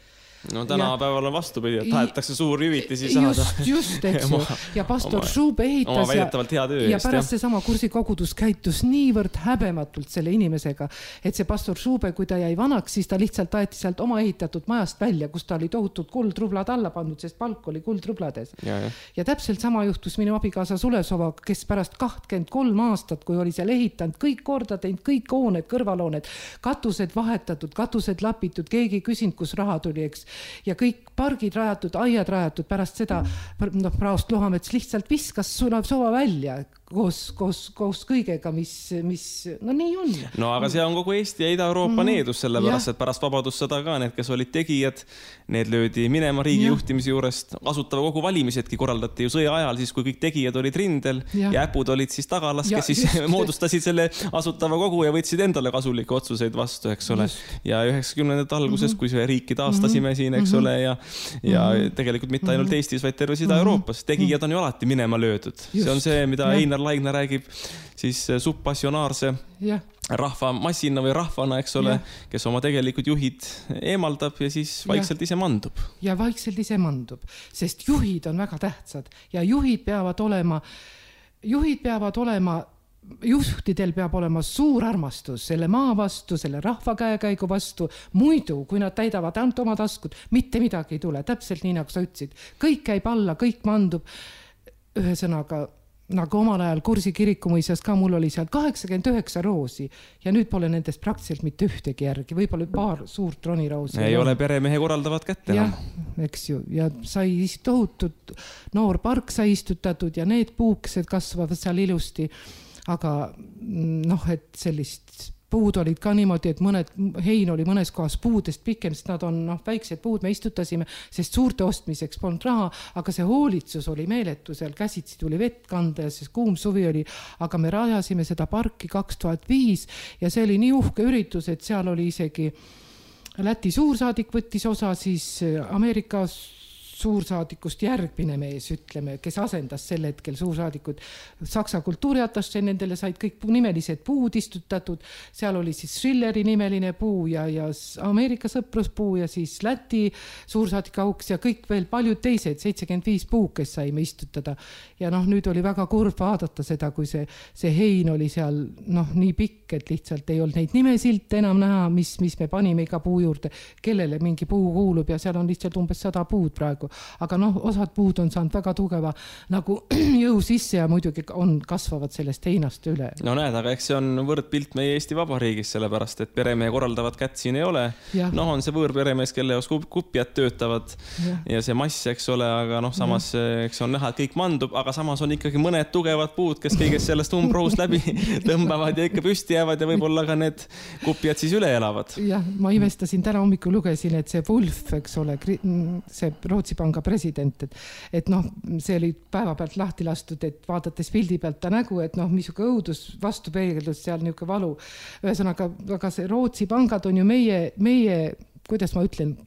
No tänapäeval on vastupidi, et tahetakse suuri hüvitisi saada. Just, just, eks ju. Ja pastor Šube ehitas ja, ja pärast see sama kursikogudus käitus niivõrd häbematult selle inimesega, et see pastor Šube, kui ta jäi vanaks, siis ta lihtsalt aeti sealt oma ehitatud majast välja, kus ta oli tohutud kuldrublad alla pandud, sest palk oli kuldrublades. Ja, ja. ja täpselt sama juhtus minu abikaasa Sulesova, kes pärast kakskümmend kolm aastat, kui oli seal ehitanud, kõik korda teinud, kõik hooned, kõrvalhooned, katused vahetatud, katused lapitud, keegi küsinud, kus raha tuli, eks. Ja kõik pargid rajatud, aiad rajatud pärast seda, noh, Praost Lohamets lihtsalt viskas Sulesova välja koos, koos, koos kõigega, mis, mis, no nii on. No aga see on kogu Eesti ja Ida-Euroopa mm. needus, sellepärast, et pärast vabadussõda ka need, kes olid tegijad, need löödi minema riigi ja. Juhtimise juurest. Asutava kogu valimisedki korraldati ju sõja ajal, siis kui kõik tegijad olid rindel ja, ja äpud olid siis tagalas, kes ja, siis just, moodustasid selle asutava kogu ja võtsid endale kasulikke otsuseid vastu, eks ole. Just. Ja üheksakümnendate alguses, mm-hmm. kui see riiki taastasime mm-hmm. siin, eks mm-hmm. ole, ja, ja mm-hmm. tegelikult mitte ainult Eestis, vaid terves Ida-Euroopas. Tegijad on ju alati minema löödud. Just. See on see, mida ja. Einar Laigna räägib siis subpassionaarse ja. Rahva massina või rahvana, eks ole, ja. Kes oma tegelikult juhid eemaldab ja siis vaikselt ja. Ise mandub. Ja vaikselt ise mandub, sest juhid on väga tähtsad ja juhid peavad olema, juhid peavad olema juhtidel peab olema suur armastus selle maa vastu, selle rahva käekäigu vastu, muidu, kui nad täidavad ainult oma taskut, mitte midagi ei tule, täpselt nii nagu sa ütlesid. Kõik käib alla, kõik mandub, ühesõnaga nagu omal ajal Kursi Kirikumõisas ka mul oli seal kaheksakümmend üheksa roosi ja nüüd pole nendest praktiliselt mitte ühtegi järgi, võib-olla paar suurt roniroosi. Ei ole peremehe korraldavad kätte. Jah, eks ju, ja sai tohutud noor park sai istutatud ja need puukesed kasvavad seal ilusti, aga noh, et sellist puud olid ka niimoodi, et mõned, hein oli mõnes kohas puudest pikem, sest nad on noh, väiksed puud, me istutasime, sest suurte ostmiseks polnud raha, aga see hoolitsus oli meeletu, seal käsitsi tuli vett kanda ja siis kuum suvi oli, aga me rajasime seda parki kaks tuhat viis ja see oli nii uhke üritus, et seal oli isegi Läti suursaadik võttis osa, siis Ameerikas suursaadikust järgmine mees, ütleme, kes asendas sel hetkel suursaadikud. Saksa kultuuriatasse nendele said kõik nimelised puud istutatud. Seal oli siis Schilleri nimeline puu ja, ja Ameerika sõpruspuu ja siis Läti suursaadik auks ja kõik veel paljud teised, seitsekümmend viis puu, kes saime istutada. Ja noh, nüüd oli väga kurb vaadata seda, kui see, see hein oli seal noh, nii pikk, et lihtsalt ei olnud neid nimesilte enam näha, mis, mis me panime iga puu juurde, kellele mingi puu kuulub ja seal on lihtsalt umbes sada puud praegu. aga noh, osad puud on saanud väga tugeva nagu jõu sisse ja muidugi on, kasvavad sellest heinast üle. No näed, aga eks see on võrdpilt meie Eesti Vabariigis, sellepärast, et peremehe korraldavat kätt siin ei ole. Noh, on see võõrperemees, kelle jaoks kupjad töötavad ja. ja see mass, eks ole, aga noh, samas ja. eks on näha, et kõik mandub, aga samas on ikkagi mõned tugevad puud, kes kõigest sellest umbrohust läbi tõmbavad ja ikka püsti jäävad ja võib-olla ka need kupjad siis üle elavad. Jah, ma imestasin, täna hommikul lugesin, et see Wolf, eks ole, see Rootsi panga president, et, et noh, see oli päeva pealt lahti lastud, et vaadates pildi pealt ta nägu, et noh, misuke õudus vastu peegeldus seal niuke valu. Ühesõnaga, aga see Rootsi pangad on ju meie, meie, kuidas ma ütlen,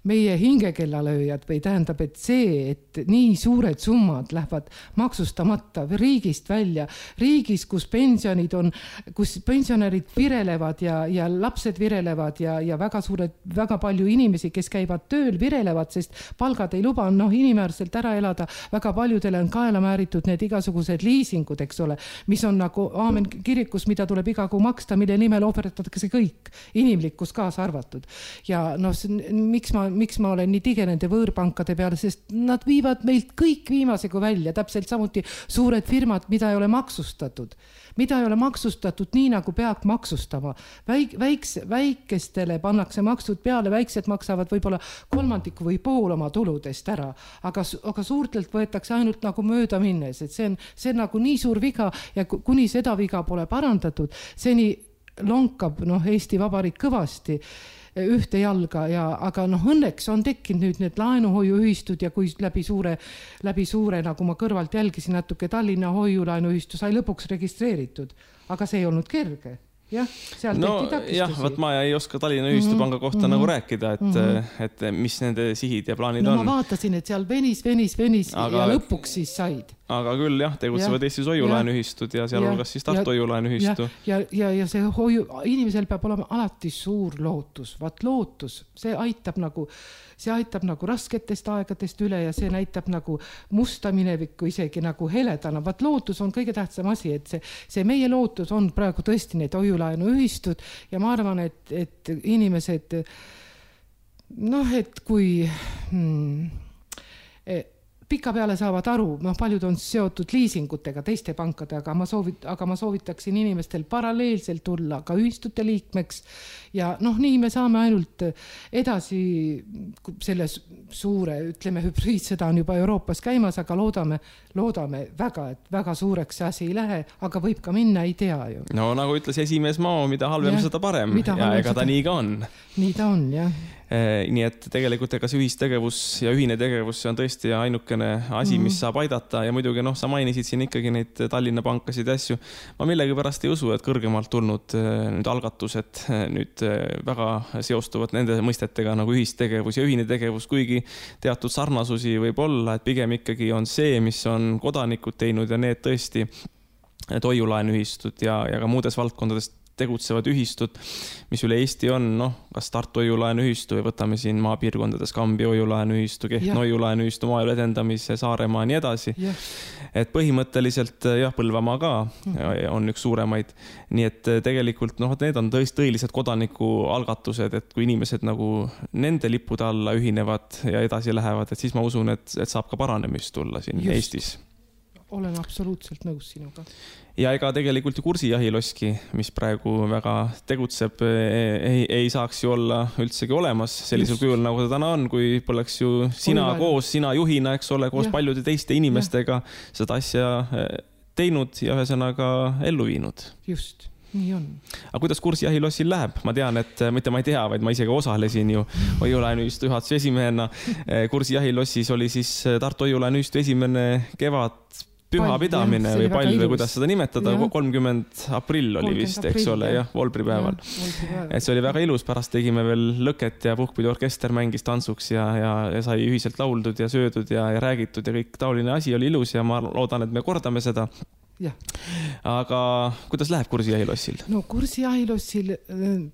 meie hingekellalööjad või tähendab, et see, et nii suured summad lähevad maksustamata riigist välja, riigis, kus pensionid on, kus pensionärid virelevad ja, ja lapsed virelevad ja, ja väga suured, väga palju inimesi, kes käivad tööl, virelevad, sest palgad ei luba, noh, inimväärselt ära elada, väga paljudele on kaela määritud need igasugused liisingud, eks ole, mis on nagu aamen kirikus, mida tuleb iga kuu maksta, mille nimel ohverdatakse kõik, inimlikkus kaasa arvatud. Ja noh, miks ma miks ma olen nii tige nende võõrpankade peale, sest nad viivad meilt kõik viimasegu välja, täpselt samuti suured firmad, mida ei ole maksustatud. Mida ei ole maksustatud nii, nagu peab maksustama. Väik, väiks, väikestele pannakse maksud peale, väiksed maksavad võib-olla kolmandiku või pool oma tuludest ära, aga, aga suurtelt võetakse ainult nagu mööda minnes, et see on, see on nagu nii suur viga ja kuni seda viga pole parandatud, seni lonkab noh, Eesti Vabariik kõvasti ühte jalga ja, aga noh, õnneks on tekkinud nüüd need laenuhoiuühistud ja kui läbi suure, läbi suure, nagu ma kõrvalt jälgisin natuke, Tallinna hoiulaenuühistu sai lõpuks registreeritud, aga see ei olnud kerge. Jah, seal no jah, võt ma ei oska Tallinna ühistupanga kohta mm-hmm. nagu rääkida, et, mm-hmm. et mis nende sihid ja plaanid no, on. Ma vaatasin, et seal venis, venis, venis aga, ja lõpuks siis said. Aga küll jah, tegutsevad ja, Eestis hoiulaenuühistud ja sealhulgas siis Tartu hoiulaenuühistu. Ja, ja, ja see hoiu, inimesel peab olema alati suur lootus. Vaat lootus, see aitab nagu, see aitab nagu rasketest aegadest üle ja see näitab nagu musta minevikku isegi nagu heledana. Vaat lootus on kõige tähtsam asi, et see, see meie lootus on praegu tõesti need hoiulaenuühistud ja ma arvan, et, et inimesed, noh, et kui hmm, pika peale saavad aru, noh, paljud on seotud liisingutega, teiste pankade, aga ma, soovit, aga ma soovitaksin inimestel paralleelselt tulla ka ühistute liikmeks ja noh, nii me saame ainult edasi selle suure, ütleme, hübriidsõda on juba Euroopas käimas, aga loodame, loodame väga, et väga suureks see asi ei lähe, aga võib ka minna, ei tea ju. No nagu ütles esimees Mao, mida halvem ja, seda parem ja ega ta seda... nii ka on. Nii ta on, jah. Nii et tegelikult ega see ühistegevus ja ühine tegevus see on tõesti ainukene asi, mis saab aidata ja muidugi noh, sa mainisid siin ikkagi neid Tallinna pankasid asju. Ma millegi pärast ei usu, et kõrgemalt tulnud nüüd algatused nüüd väga seostuvad nende mõistetega nagu ühistegevus ja ühine tegevus, kuigi teatud sarnasusi võib olla, et pigem ikkagi on see, mis on kodanikud teinud ja need tõesti hoiulaenuühistud ja, ja ka muudes valdkondades tegutsevad ühistud, mis üle Eesti on, noh, kas Tartu hoiulaenuühistu või võtame siin maapiirkondades Kambi hoiulaenuühistu, Kehtna hoiulaenuühistu, Maaelu edendamise, Saaremaa ja nii edasi. Ja. Et põhimõtteliselt jah, Põlvamaa ka on üks suuremaid. Nii et tegelikult noh, need on tõesti tõelised kodanikualgatused, et kui inimesed nagu nende lippude alla ühinevad ja edasi lähevad, et siis ma usun, et, et saab ka paranemist tulla siin Just. Eestis. Olen absoluutselt nõus sinuga. Ja ega tegelikult ju kursijahiloski, mis praegu väga tegutseb, ei, ei saaks ju olla üldsegi olemas sellisel Just. Kujul, nagu ta täna on, kui poleks ju sina Olivai. Koos, sina juhina, eks ole, koos ja. Paljude teiste inimestega ja. Seda asja teinud ja ühesõnaga ellu viinud. Just. Nii on. Aga kuidas kursijahilossil läheb? Ma tean, et mitte ma ei tea, vaid ma isegi osalesin ju hoiulaenuühistu juhatuse esimehena. Kursijahilossis oli siis Tartu hoiulaenuühistu esimene kevad püha pidamine või pall või kuidas seda nimetada, ja. kolmkümmend aprill oli vist, eks ole, jah, Volbri päeval. Et see oli väga ilus, pärast tegime veel lõket ja puhkpidi orkester mängis tantsuks ja, ja, ja sai ühiselt lauldud ja söödud ja, ja räägitud ja kõik taoline asi oli ilus ja ma loodan, et me kordame seda. Ja. Aga kuidas läheb kursijahilossil? No kursijahilossil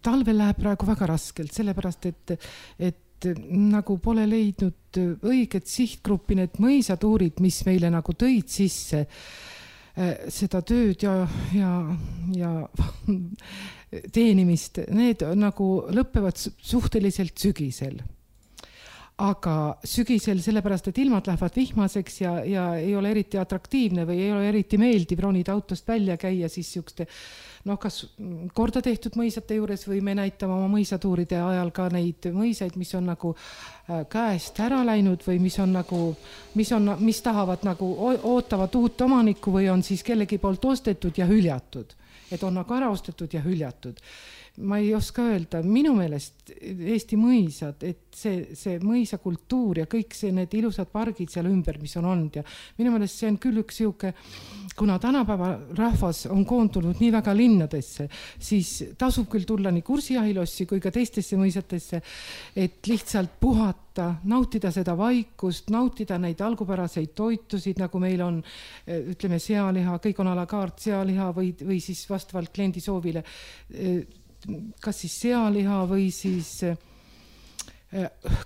talvel läheb praegu väga raskelt, sellepärast, et, et nagu pole leidnud õiget sihtgruppi, need mõisatuurid, mis meile nagu tõid sisse seda tööd ja, ja, ja teenimist, need nagu lõppevad suhteliselt sügisel. aga sügisel sellepärast, et ilmad lähevad vihmaseks ja, ja ei ole eriti atraktiivne või ei ole eriti meeldiv ronida autost välja käia, siis siukeste noh, kas korda tehtud mõisate juures või me näitame oma mõisatuuride ajal ka neid mõisaid, mis on nagu käest ära läinud või mis on nagu, mis on, mis tahavad nagu ootavad uut omanikku või on siis kellegi poolt ostetud ja hüljatud, et on nagu ära ostetud ja hüljatud. Ma ei oska öelda, minu meelest Eesti mõisad, et see, see mõisakultuur ja kõik see, need ilusad pargid seal ümber, mis on olnud ja minu meelest see on küll üks siuke, kuna tänapäeva rahvas on koondunud nii väga linnadesse, siis tasub küll tulla nii Kursijahilossi kui ka teistesse mõisatesse, et lihtsalt puhata, nautida seda vaikust, nautida neid algupäraseid toitusid, nagu meil on, ütleme, sealiha, kõik on a la carte sealiha või, või siis vastavalt kliendi soovile kas siis sealiha või siis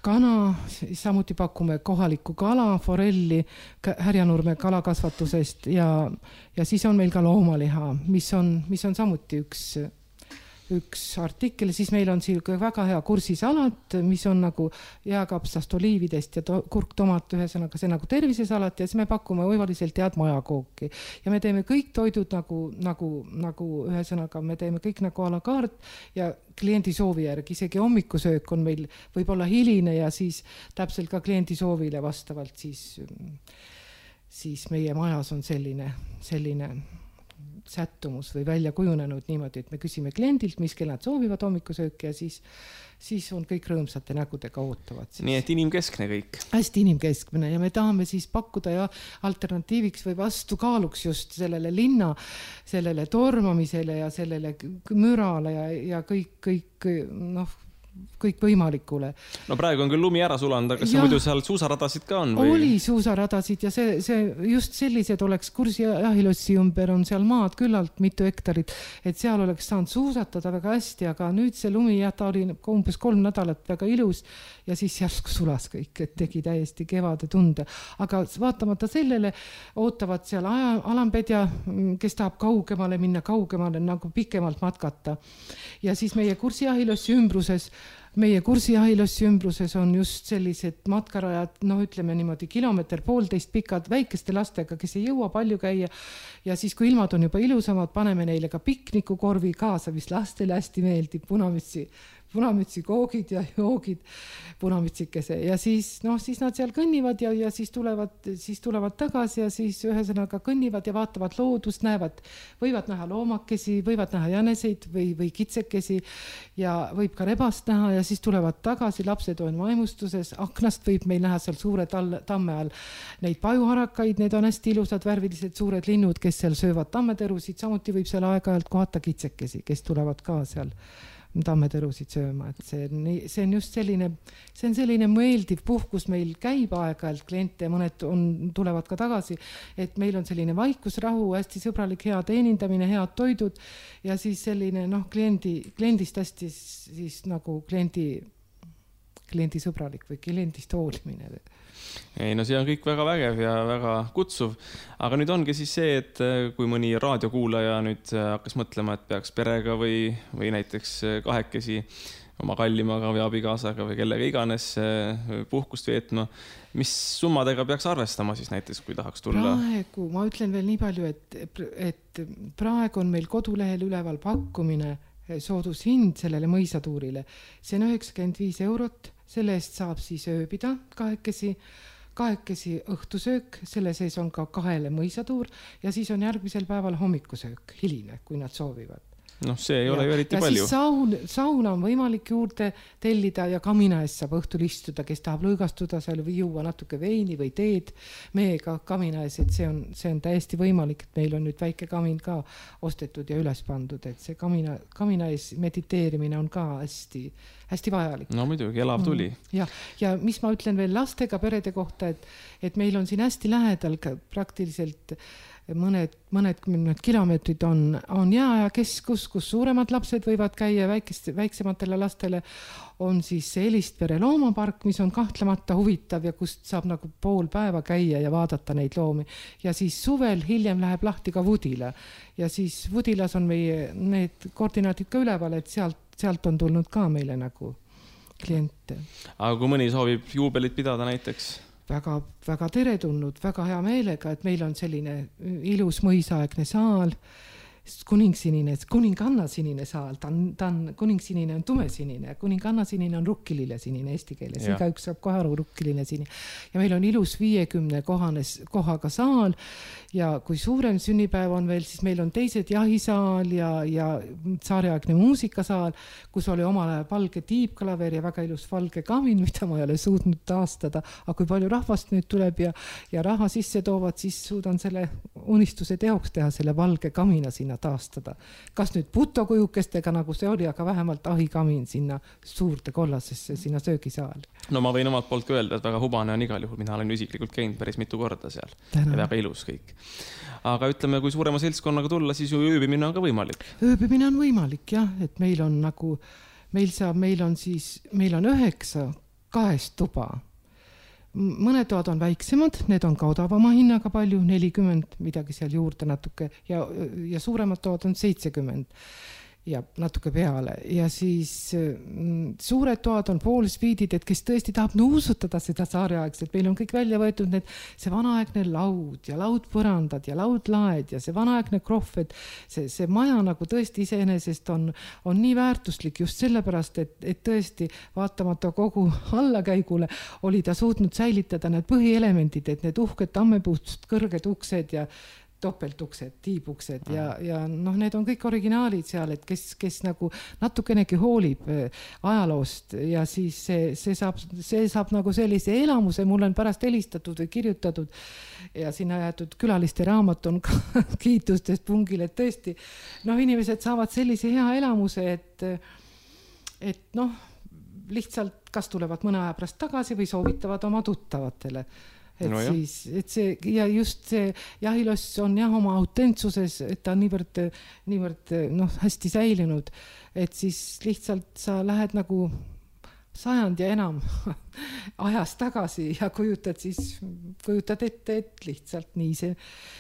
kana, samuti pakume kohalikku kala, forelli Härjanurme kalakasvatusest ja, ja siis on meil ka loomaliha, mis on, mis on samuti üks, üks artikkel, siis meil on siin väga hea kursisalat, mis on nagu jääkapsast oliividest ja to, kurk, tomat, ühesõnaga see nagu tervisesalat ja siis me pakume oivaliselt head majakooki ja me teeme kõik toidud nagu, nagu, nagu ühesõnaga me teeme kõik nagu a la carte ja kliendi soovi järgi, isegi hommikusöök on meil võib-olla hiline ja siis täpselt ka kliendi soovile vastavalt siis, siis meie majas on selline, selline sättumus või välja kujunenud niimoodi, et me küsime kliendilt, mis kell nad soovivad hommikusööki ja siis, siis on kõik rõõmsate nägudega ootavad. Siis. Nii et inimkeskne kõik. Hästi inimkeskne ja me tahame siis pakkuda ja alternatiiviks või vastukaaluks just sellele linna, sellele tormamisele ja sellele mürale ja, ja kõik, kõik noh, kõik võimalikule. No praegu on küll lumi ära sulanud, aga kas ja, muidu seal suusaradasid ka on? Või? Oli suusaradasid ja see, see just sellised oleks Kursijahilossi ümber on seal maad küllalt mitu hektarit, et seal oleks saanud suusatada väga hästi, aga nüüd see lumi jah, ta oli umbes kolm nädalat väga ilus ja siis järsku sulas kõik, et tegi täiesti kevade tunde. Aga vaatamata sellele ootavad seal aja, alambedja, kes tahab kaugemale minna, kaugemale nagu pikemalt matkata. Ja siis meie Kursijahilossi ümbruses meie Kursijahilossi ümbruses on just sellised matkarajad, noh ütleme niimoodi kilomeeter poolteist pikad väikeste lastega, kes ei jõua palju käia ja siis kui ilmad on juba ilusamad, paneme neile ka piknikukorvi kaasa, mis lastele hästi meeldib, punamütsi punamütsi koogid ja joogid punamütsikese ja siis, noh, siis nad seal kõnnivad ja, ja siis tulevad, siis tulevad tagasi ja siis ühesõnaga kõnnivad ja vaatavad loodust, näevad, võivad näha loomakesi, võivad näha jäneseid või, või kitsekesi ja võib ka rebast näha ja siis tulevad tagasi, lapsed on vaimustuses, aknast võib meil näha seal suure tal, tamme all neid pajuharakaid, need on hästi ilusad värvilised suured linnud, kes seal söövad tammeterusid, samuti võib seal aeg-ajalt kohata kitsekesi, kes tulevad ka seal tammeterusid sööma, et see, see on just selline, see on selline meeldiv puhkus, meil käib aeg-ajalt kliente, mõned on, tulevad ka tagasi, et meil on selline vaikusrahu, hästi sõbralik, hea teenindamine, head toidud ja siis selline, noh, kliendi, kliendist hästi siis nagu kliendi, kliendi sõbralik või kliendist hoolimine. Ei, no see on kõik väga vägev ja väga kutsuv, aga nüüd ongi siis see, et kui mõni raadiokuulaja nüüd hakkas mõtlema, et peaks perega või, või näiteks kahekesi oma kallimaga või abikaasaga või kellega iganes puhkust veetma, mis summadega peaks arvestama siis näiteks, kui tahaks tulla? Praegu, ma ütlen veel nii palju, et, et praegu on meil kodulehel üleval pakkumine soodushind sellele mõisatuurile. See on üheksakümmend viis eurot, selle eest saab siis ööbida kahekesi, kahekesi õhtusöök, selle sees on ka kahele mõisatuur ja siis on järgmisel päeval hommikusöök, hiline, kui nad soovivad. Noh, see ei ja, ole ju eriti ja palju. Siis saun, sauna on võimalik juurde tellida ja kamina ees saab õhtul istuda, kes tahab lõõgastuda seal või juua natuke veini või teed meega kamina ees, et see on, see on täiesti võimalik, et meil on nüüd väike kamin ka ostetud ja üles pandud, et see kamina, kamina ees mediteerimine on ka hästi, hästi vajalik. No muidugi, elav tuli. Mm. Ja, ja mis ma ütlen veel lastega perede kohta, et, et meil on siin hästi lähedal praktiliselt mõned, mõned kümned kilomeetrid on, on jääajakeskus, kus suuremad lapsed võivad käia, väikest, väiksematele lastele on siis see Elistvere loomapark, mis on kahtlemata huvitav ja kust saab nagu pool päeva käia ja vaadata neid loomi. Ja siis suvel hiljem läheb lahti ka Vudila ja siis Vudilas on meie need koordinaadid ka üleval, et sealt, sealt on tulnud ka meile nagu kliente. Aga kui mõni soovib juubelit pidada näiteks? Väga, väga teretulnud, väga hea meelega, et meil on selline ilus mõisaaegne saal, kuningsinine, kuninganna sinine saal, ta on, ta on, kuningsinine on tumesinine, kuninganna sinine on rukkilille sinine eesti keeles, iga üks saab kohe aru rukkilline sinine. Ja meil on ilus viiekümne kohanes, kohaga saal ja kui suurem sünnipäev on veel, siis meil on teised jahisaal ja, ja saareaegne muusikasaal, kus oli omal ajal valge tiibklaver ja väga ilus valge kamin, mida ma ei ole suutnud taastada, aga kui palju rahvast nüüd tuleb ja, ja raha sisse toovad, siis suudan selle unistuse teoks teha, selle valge kamina sinna taastada. Kas nüüd putokujukestega nagu see oli, aga vähemalt ahikamin sinna suurde kollasesse, sinna söögisaali. No ma võin omalt poolt öelda, et väga hubane on igal juhul. Mina olen isiklikult käinud päris mitu korda seal. Tänan. Ja väga ilus kõik. Aga ütleme, kui suurema seltskonnaga tulla, siis ju ööbimine on ka võimalik. Ööbimine on võimalik, jah, et meil on nagu, meil saab, meil on siis, meil on üheksa kahest tuba. Mõned toad on väiksemad, need on ka odavama hinnaga palju, nelikümmend, midagi seal juurde natuke ja, ja suuremad toad on seitsekümmend ja natuke peale ja siis mm, suured toad on poolsviidid, et kes tõesti tahab nuusutada seda saareaegselt, meil on kõik välja võetud need, see vanaaegne laud ja laudpõrandad ja laudlaed ja see vanaaegne krohv, et see, see maja nagu tõesti iseenesest on, on nii väärtuslik just sellepärast, et, et tõesti vaatamata kogu allakäigule oli ta suutnud säilitada need põhielemendid, et need uhked tammepuust kõrged uksed ja topeltuksed, tiibuksed ja, ja noh, need on kõik originaalid seal, et kes, kes nagu natukenegi hoolib ajaloost ja siis see, see, saab, see saab nagu sellise elamuse, mul on pärast helistatud või kirjutatud ja sinna jäetud külaliste raamat on ka kiitustest pungil, et tõesti, noh, inimesed saavad sellise hea elamuse, et, et noh, lihtsalt kas tulevad mõne aja pärast tagasi või soovitavad oma tuttavatele. Et, no siis, et see, ja just see jahiloss on jah oma autentsuses, et ta on niivõrd, niivõrd noh, hästi säilinud, et siis lihtsalt sa lähed nagu sajand ja enam ajas tagasi ja kujutad siis, kujutad ette, et lihtsalt nii see,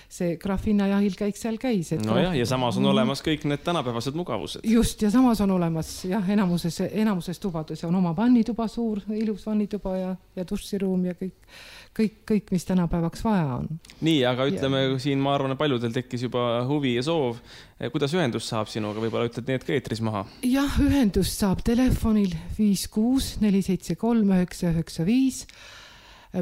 see Grafina jahil käik seal käis. No jah, ja samas on olemas kõik need tänapäevased mugavused. Just, ja samas on olemas jah, enamuses, enamuses tubades on oma vannituba suur, ilus vannituba ja, ja duširuum ja kõik, kõik, kõik, mis tänapäevaks vaja on. Nii, aga ütleme, ja. Siin ma arvan, et paljudel tekkis juba huvi ja soov. Kuidas ühendus saab sinuga? Võib-olla ütled need ka eetris maha? Jah, ühendus saab telefonil viis kuus neli seitse kolm üheksa üheksa viis,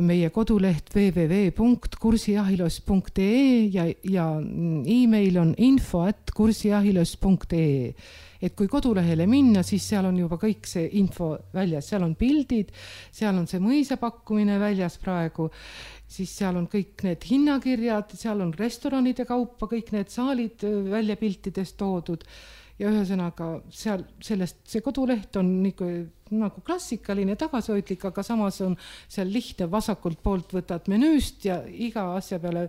meie koduleht w w w punkt kursijahiloss punkt e ja, ja e-mail on info at kursijahiloss punkt e. Et kui kodulehele minna, siis seal on juba kõik see info väljas, seal on pildid, seal on see mõisapakkumine väljas praegu, siis seal on kõik need hinnakirjad, seal on restoranide kaupa, kõik need saalid välja piltidest toodud ja ühesõnaga seal, sellest, see koduleht on nagu, nagu klassikaline tagasihoidlik, aga samas on seal lihtne vasakult poolt võtad menüüst ja iga asja peale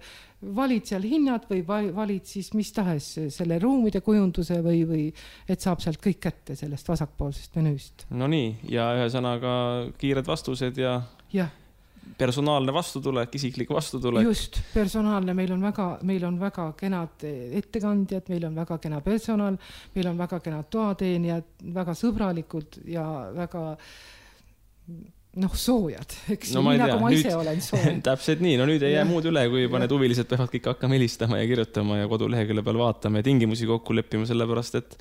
valid seal hinnad või valid siis mis tahes selle ruumide kujunduse või, või et saab sealt kõik kätte sellest vasakpoolsest menüüst. No nii, ja ühesõnaga kiired vastused ja... Jah. Personaalne vastutulek, isiklik vastutulek. Just, personaalne, meil on väga, meil on väga kenad ettekandjad, meil on väga kena personal, meil on väga kenad toateenijad, väga sõbralikud ja väga noh, soojad, eks no, nii tea, nagu ma nüüd, ise olen sooj. Täpselt nii, no nüüd ei jää muud üle, kui juba need huvilised peavad kõik hakkama helistama ja kirjutama ja kodulehekülje peal vaatama ja tingimusi kokku leppima, sellepärast et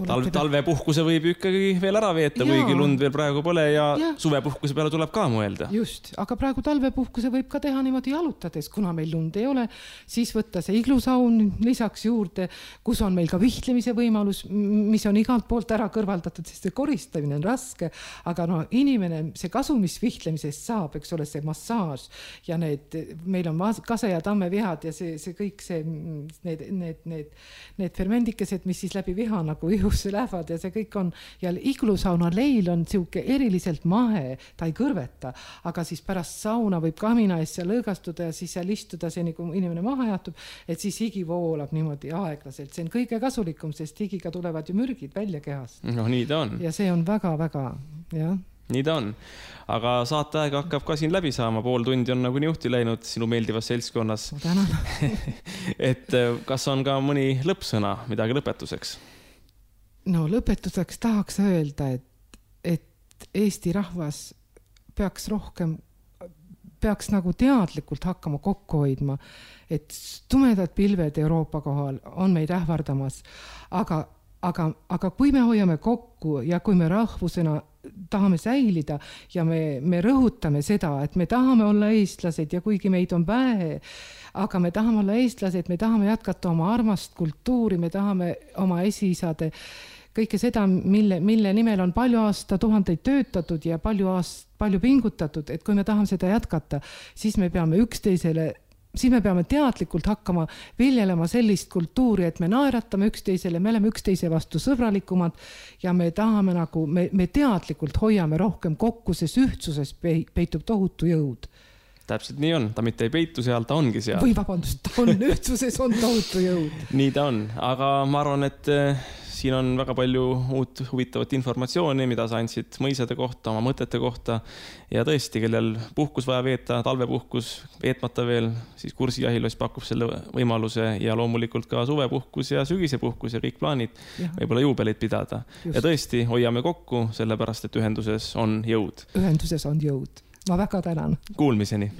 talve, talvepuhkuse võib ikkagi veel ära veeta, kuigi lund veel praegu pole ja, ja suvepuhkuse peale tuleb ka mõelda. Just, aga praegu talvepuhkuse võib ka teha niimoodi jalutades, kuna meil lund ei ole, siis võtta see iglusaun lisaks juurde, kus on meil ka vihtlemise võimalus, mis on igalt poolt ära kõrvaldatud, sest see koristamine on raske, aga no inimene, see kasu, mis vihtlemisest saab, eks ole, see massaaž ja need, meil on kase ja tammevihad ja see, see kõik see, need, need, need, need fermendikesed, mis siis läbi viha nagu ihusse lähevad ja see kõik on, ja iglusauna leil on siuke eriliselt mahe, ta ei kõrveta, aga siis pärast sauna võib kamina ees seal lõõgastuda ja siis seal istuda see, nagu inimene maha jatub, et siis higi voolab niimoodi aeglaselt. See on kõige kasulikum, sest higiga tulevad ju mürgid välja kehast. No nii ta on. Ja see on väga-väga, jah. Nii ta on. Aga saateaeg hakkab ka siin läbi saama, pool tundi on nagu niuhti läinud sinu meeldivas seltskonnas. Tänan. Et kas on ka mõni lõppsõna, midagi lõpetuseks? No lõpetuseks tahaks öelda, et, et Eesti rahvas peaks rohkem, peaks nagu teadlikult hakkama kokku hoidma, et tumedad pilved Euroopa kohal on meid ähvardamas, aga, aga, aga kui me hoiame kokku ja kui me rahvusena tahame säilida ja me, me rõhutame seda, et me tahame olla eestlased ja kuigi meid on vähe, aga me tahame olla eestlased, me tahame jätkata oma armast kultuuri, me tahame oma esiisade kõike seda, mille, mille nimel on palju aasta tuhandeid töötatud ja palju, aast, palju pingutatud, et kui me tahame seda jätkata, siis me peame üksteisele, siis me peame teadlikult hakkama viljelema sellist kultuuri, et me naeratame üksteisele, me oleme üksteise vastu sõbralikumad ja me tahame nagu, me, me teadlikult hoiame rohkem kokku, sest ühtsuses peitub tohutu jõud. Täpselt nii on, ta mitte ei peitu seal, ta ongi seal. Või vabandust, ta on ühtsuses, on tohutu jõud. Nii ta on, aga ma arvan, et siin on väga palju uut huvitavat informatsiooni, mida sa andsid mõisade kohta, oma mõtete kohta ja tõesti, kellel puhkus vaja veeta, talvepuhkus veetmata veel, siis Kursi jahiloss pakub selle võimaluse ja loomulikult ka suvepuhkus ja sügisepuhkus ja kõik plaanid võib-olla juubelit pidada. Just. Ja tõesti, hoiame kokku, sellepärast, et ühenduses on jõud. Ühenduses on jõud. Ma väga tänan. Kuulmiseni.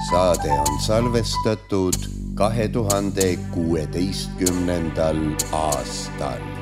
Saade on salvestatud kahe tuhande kuueteistkümnendal aastal.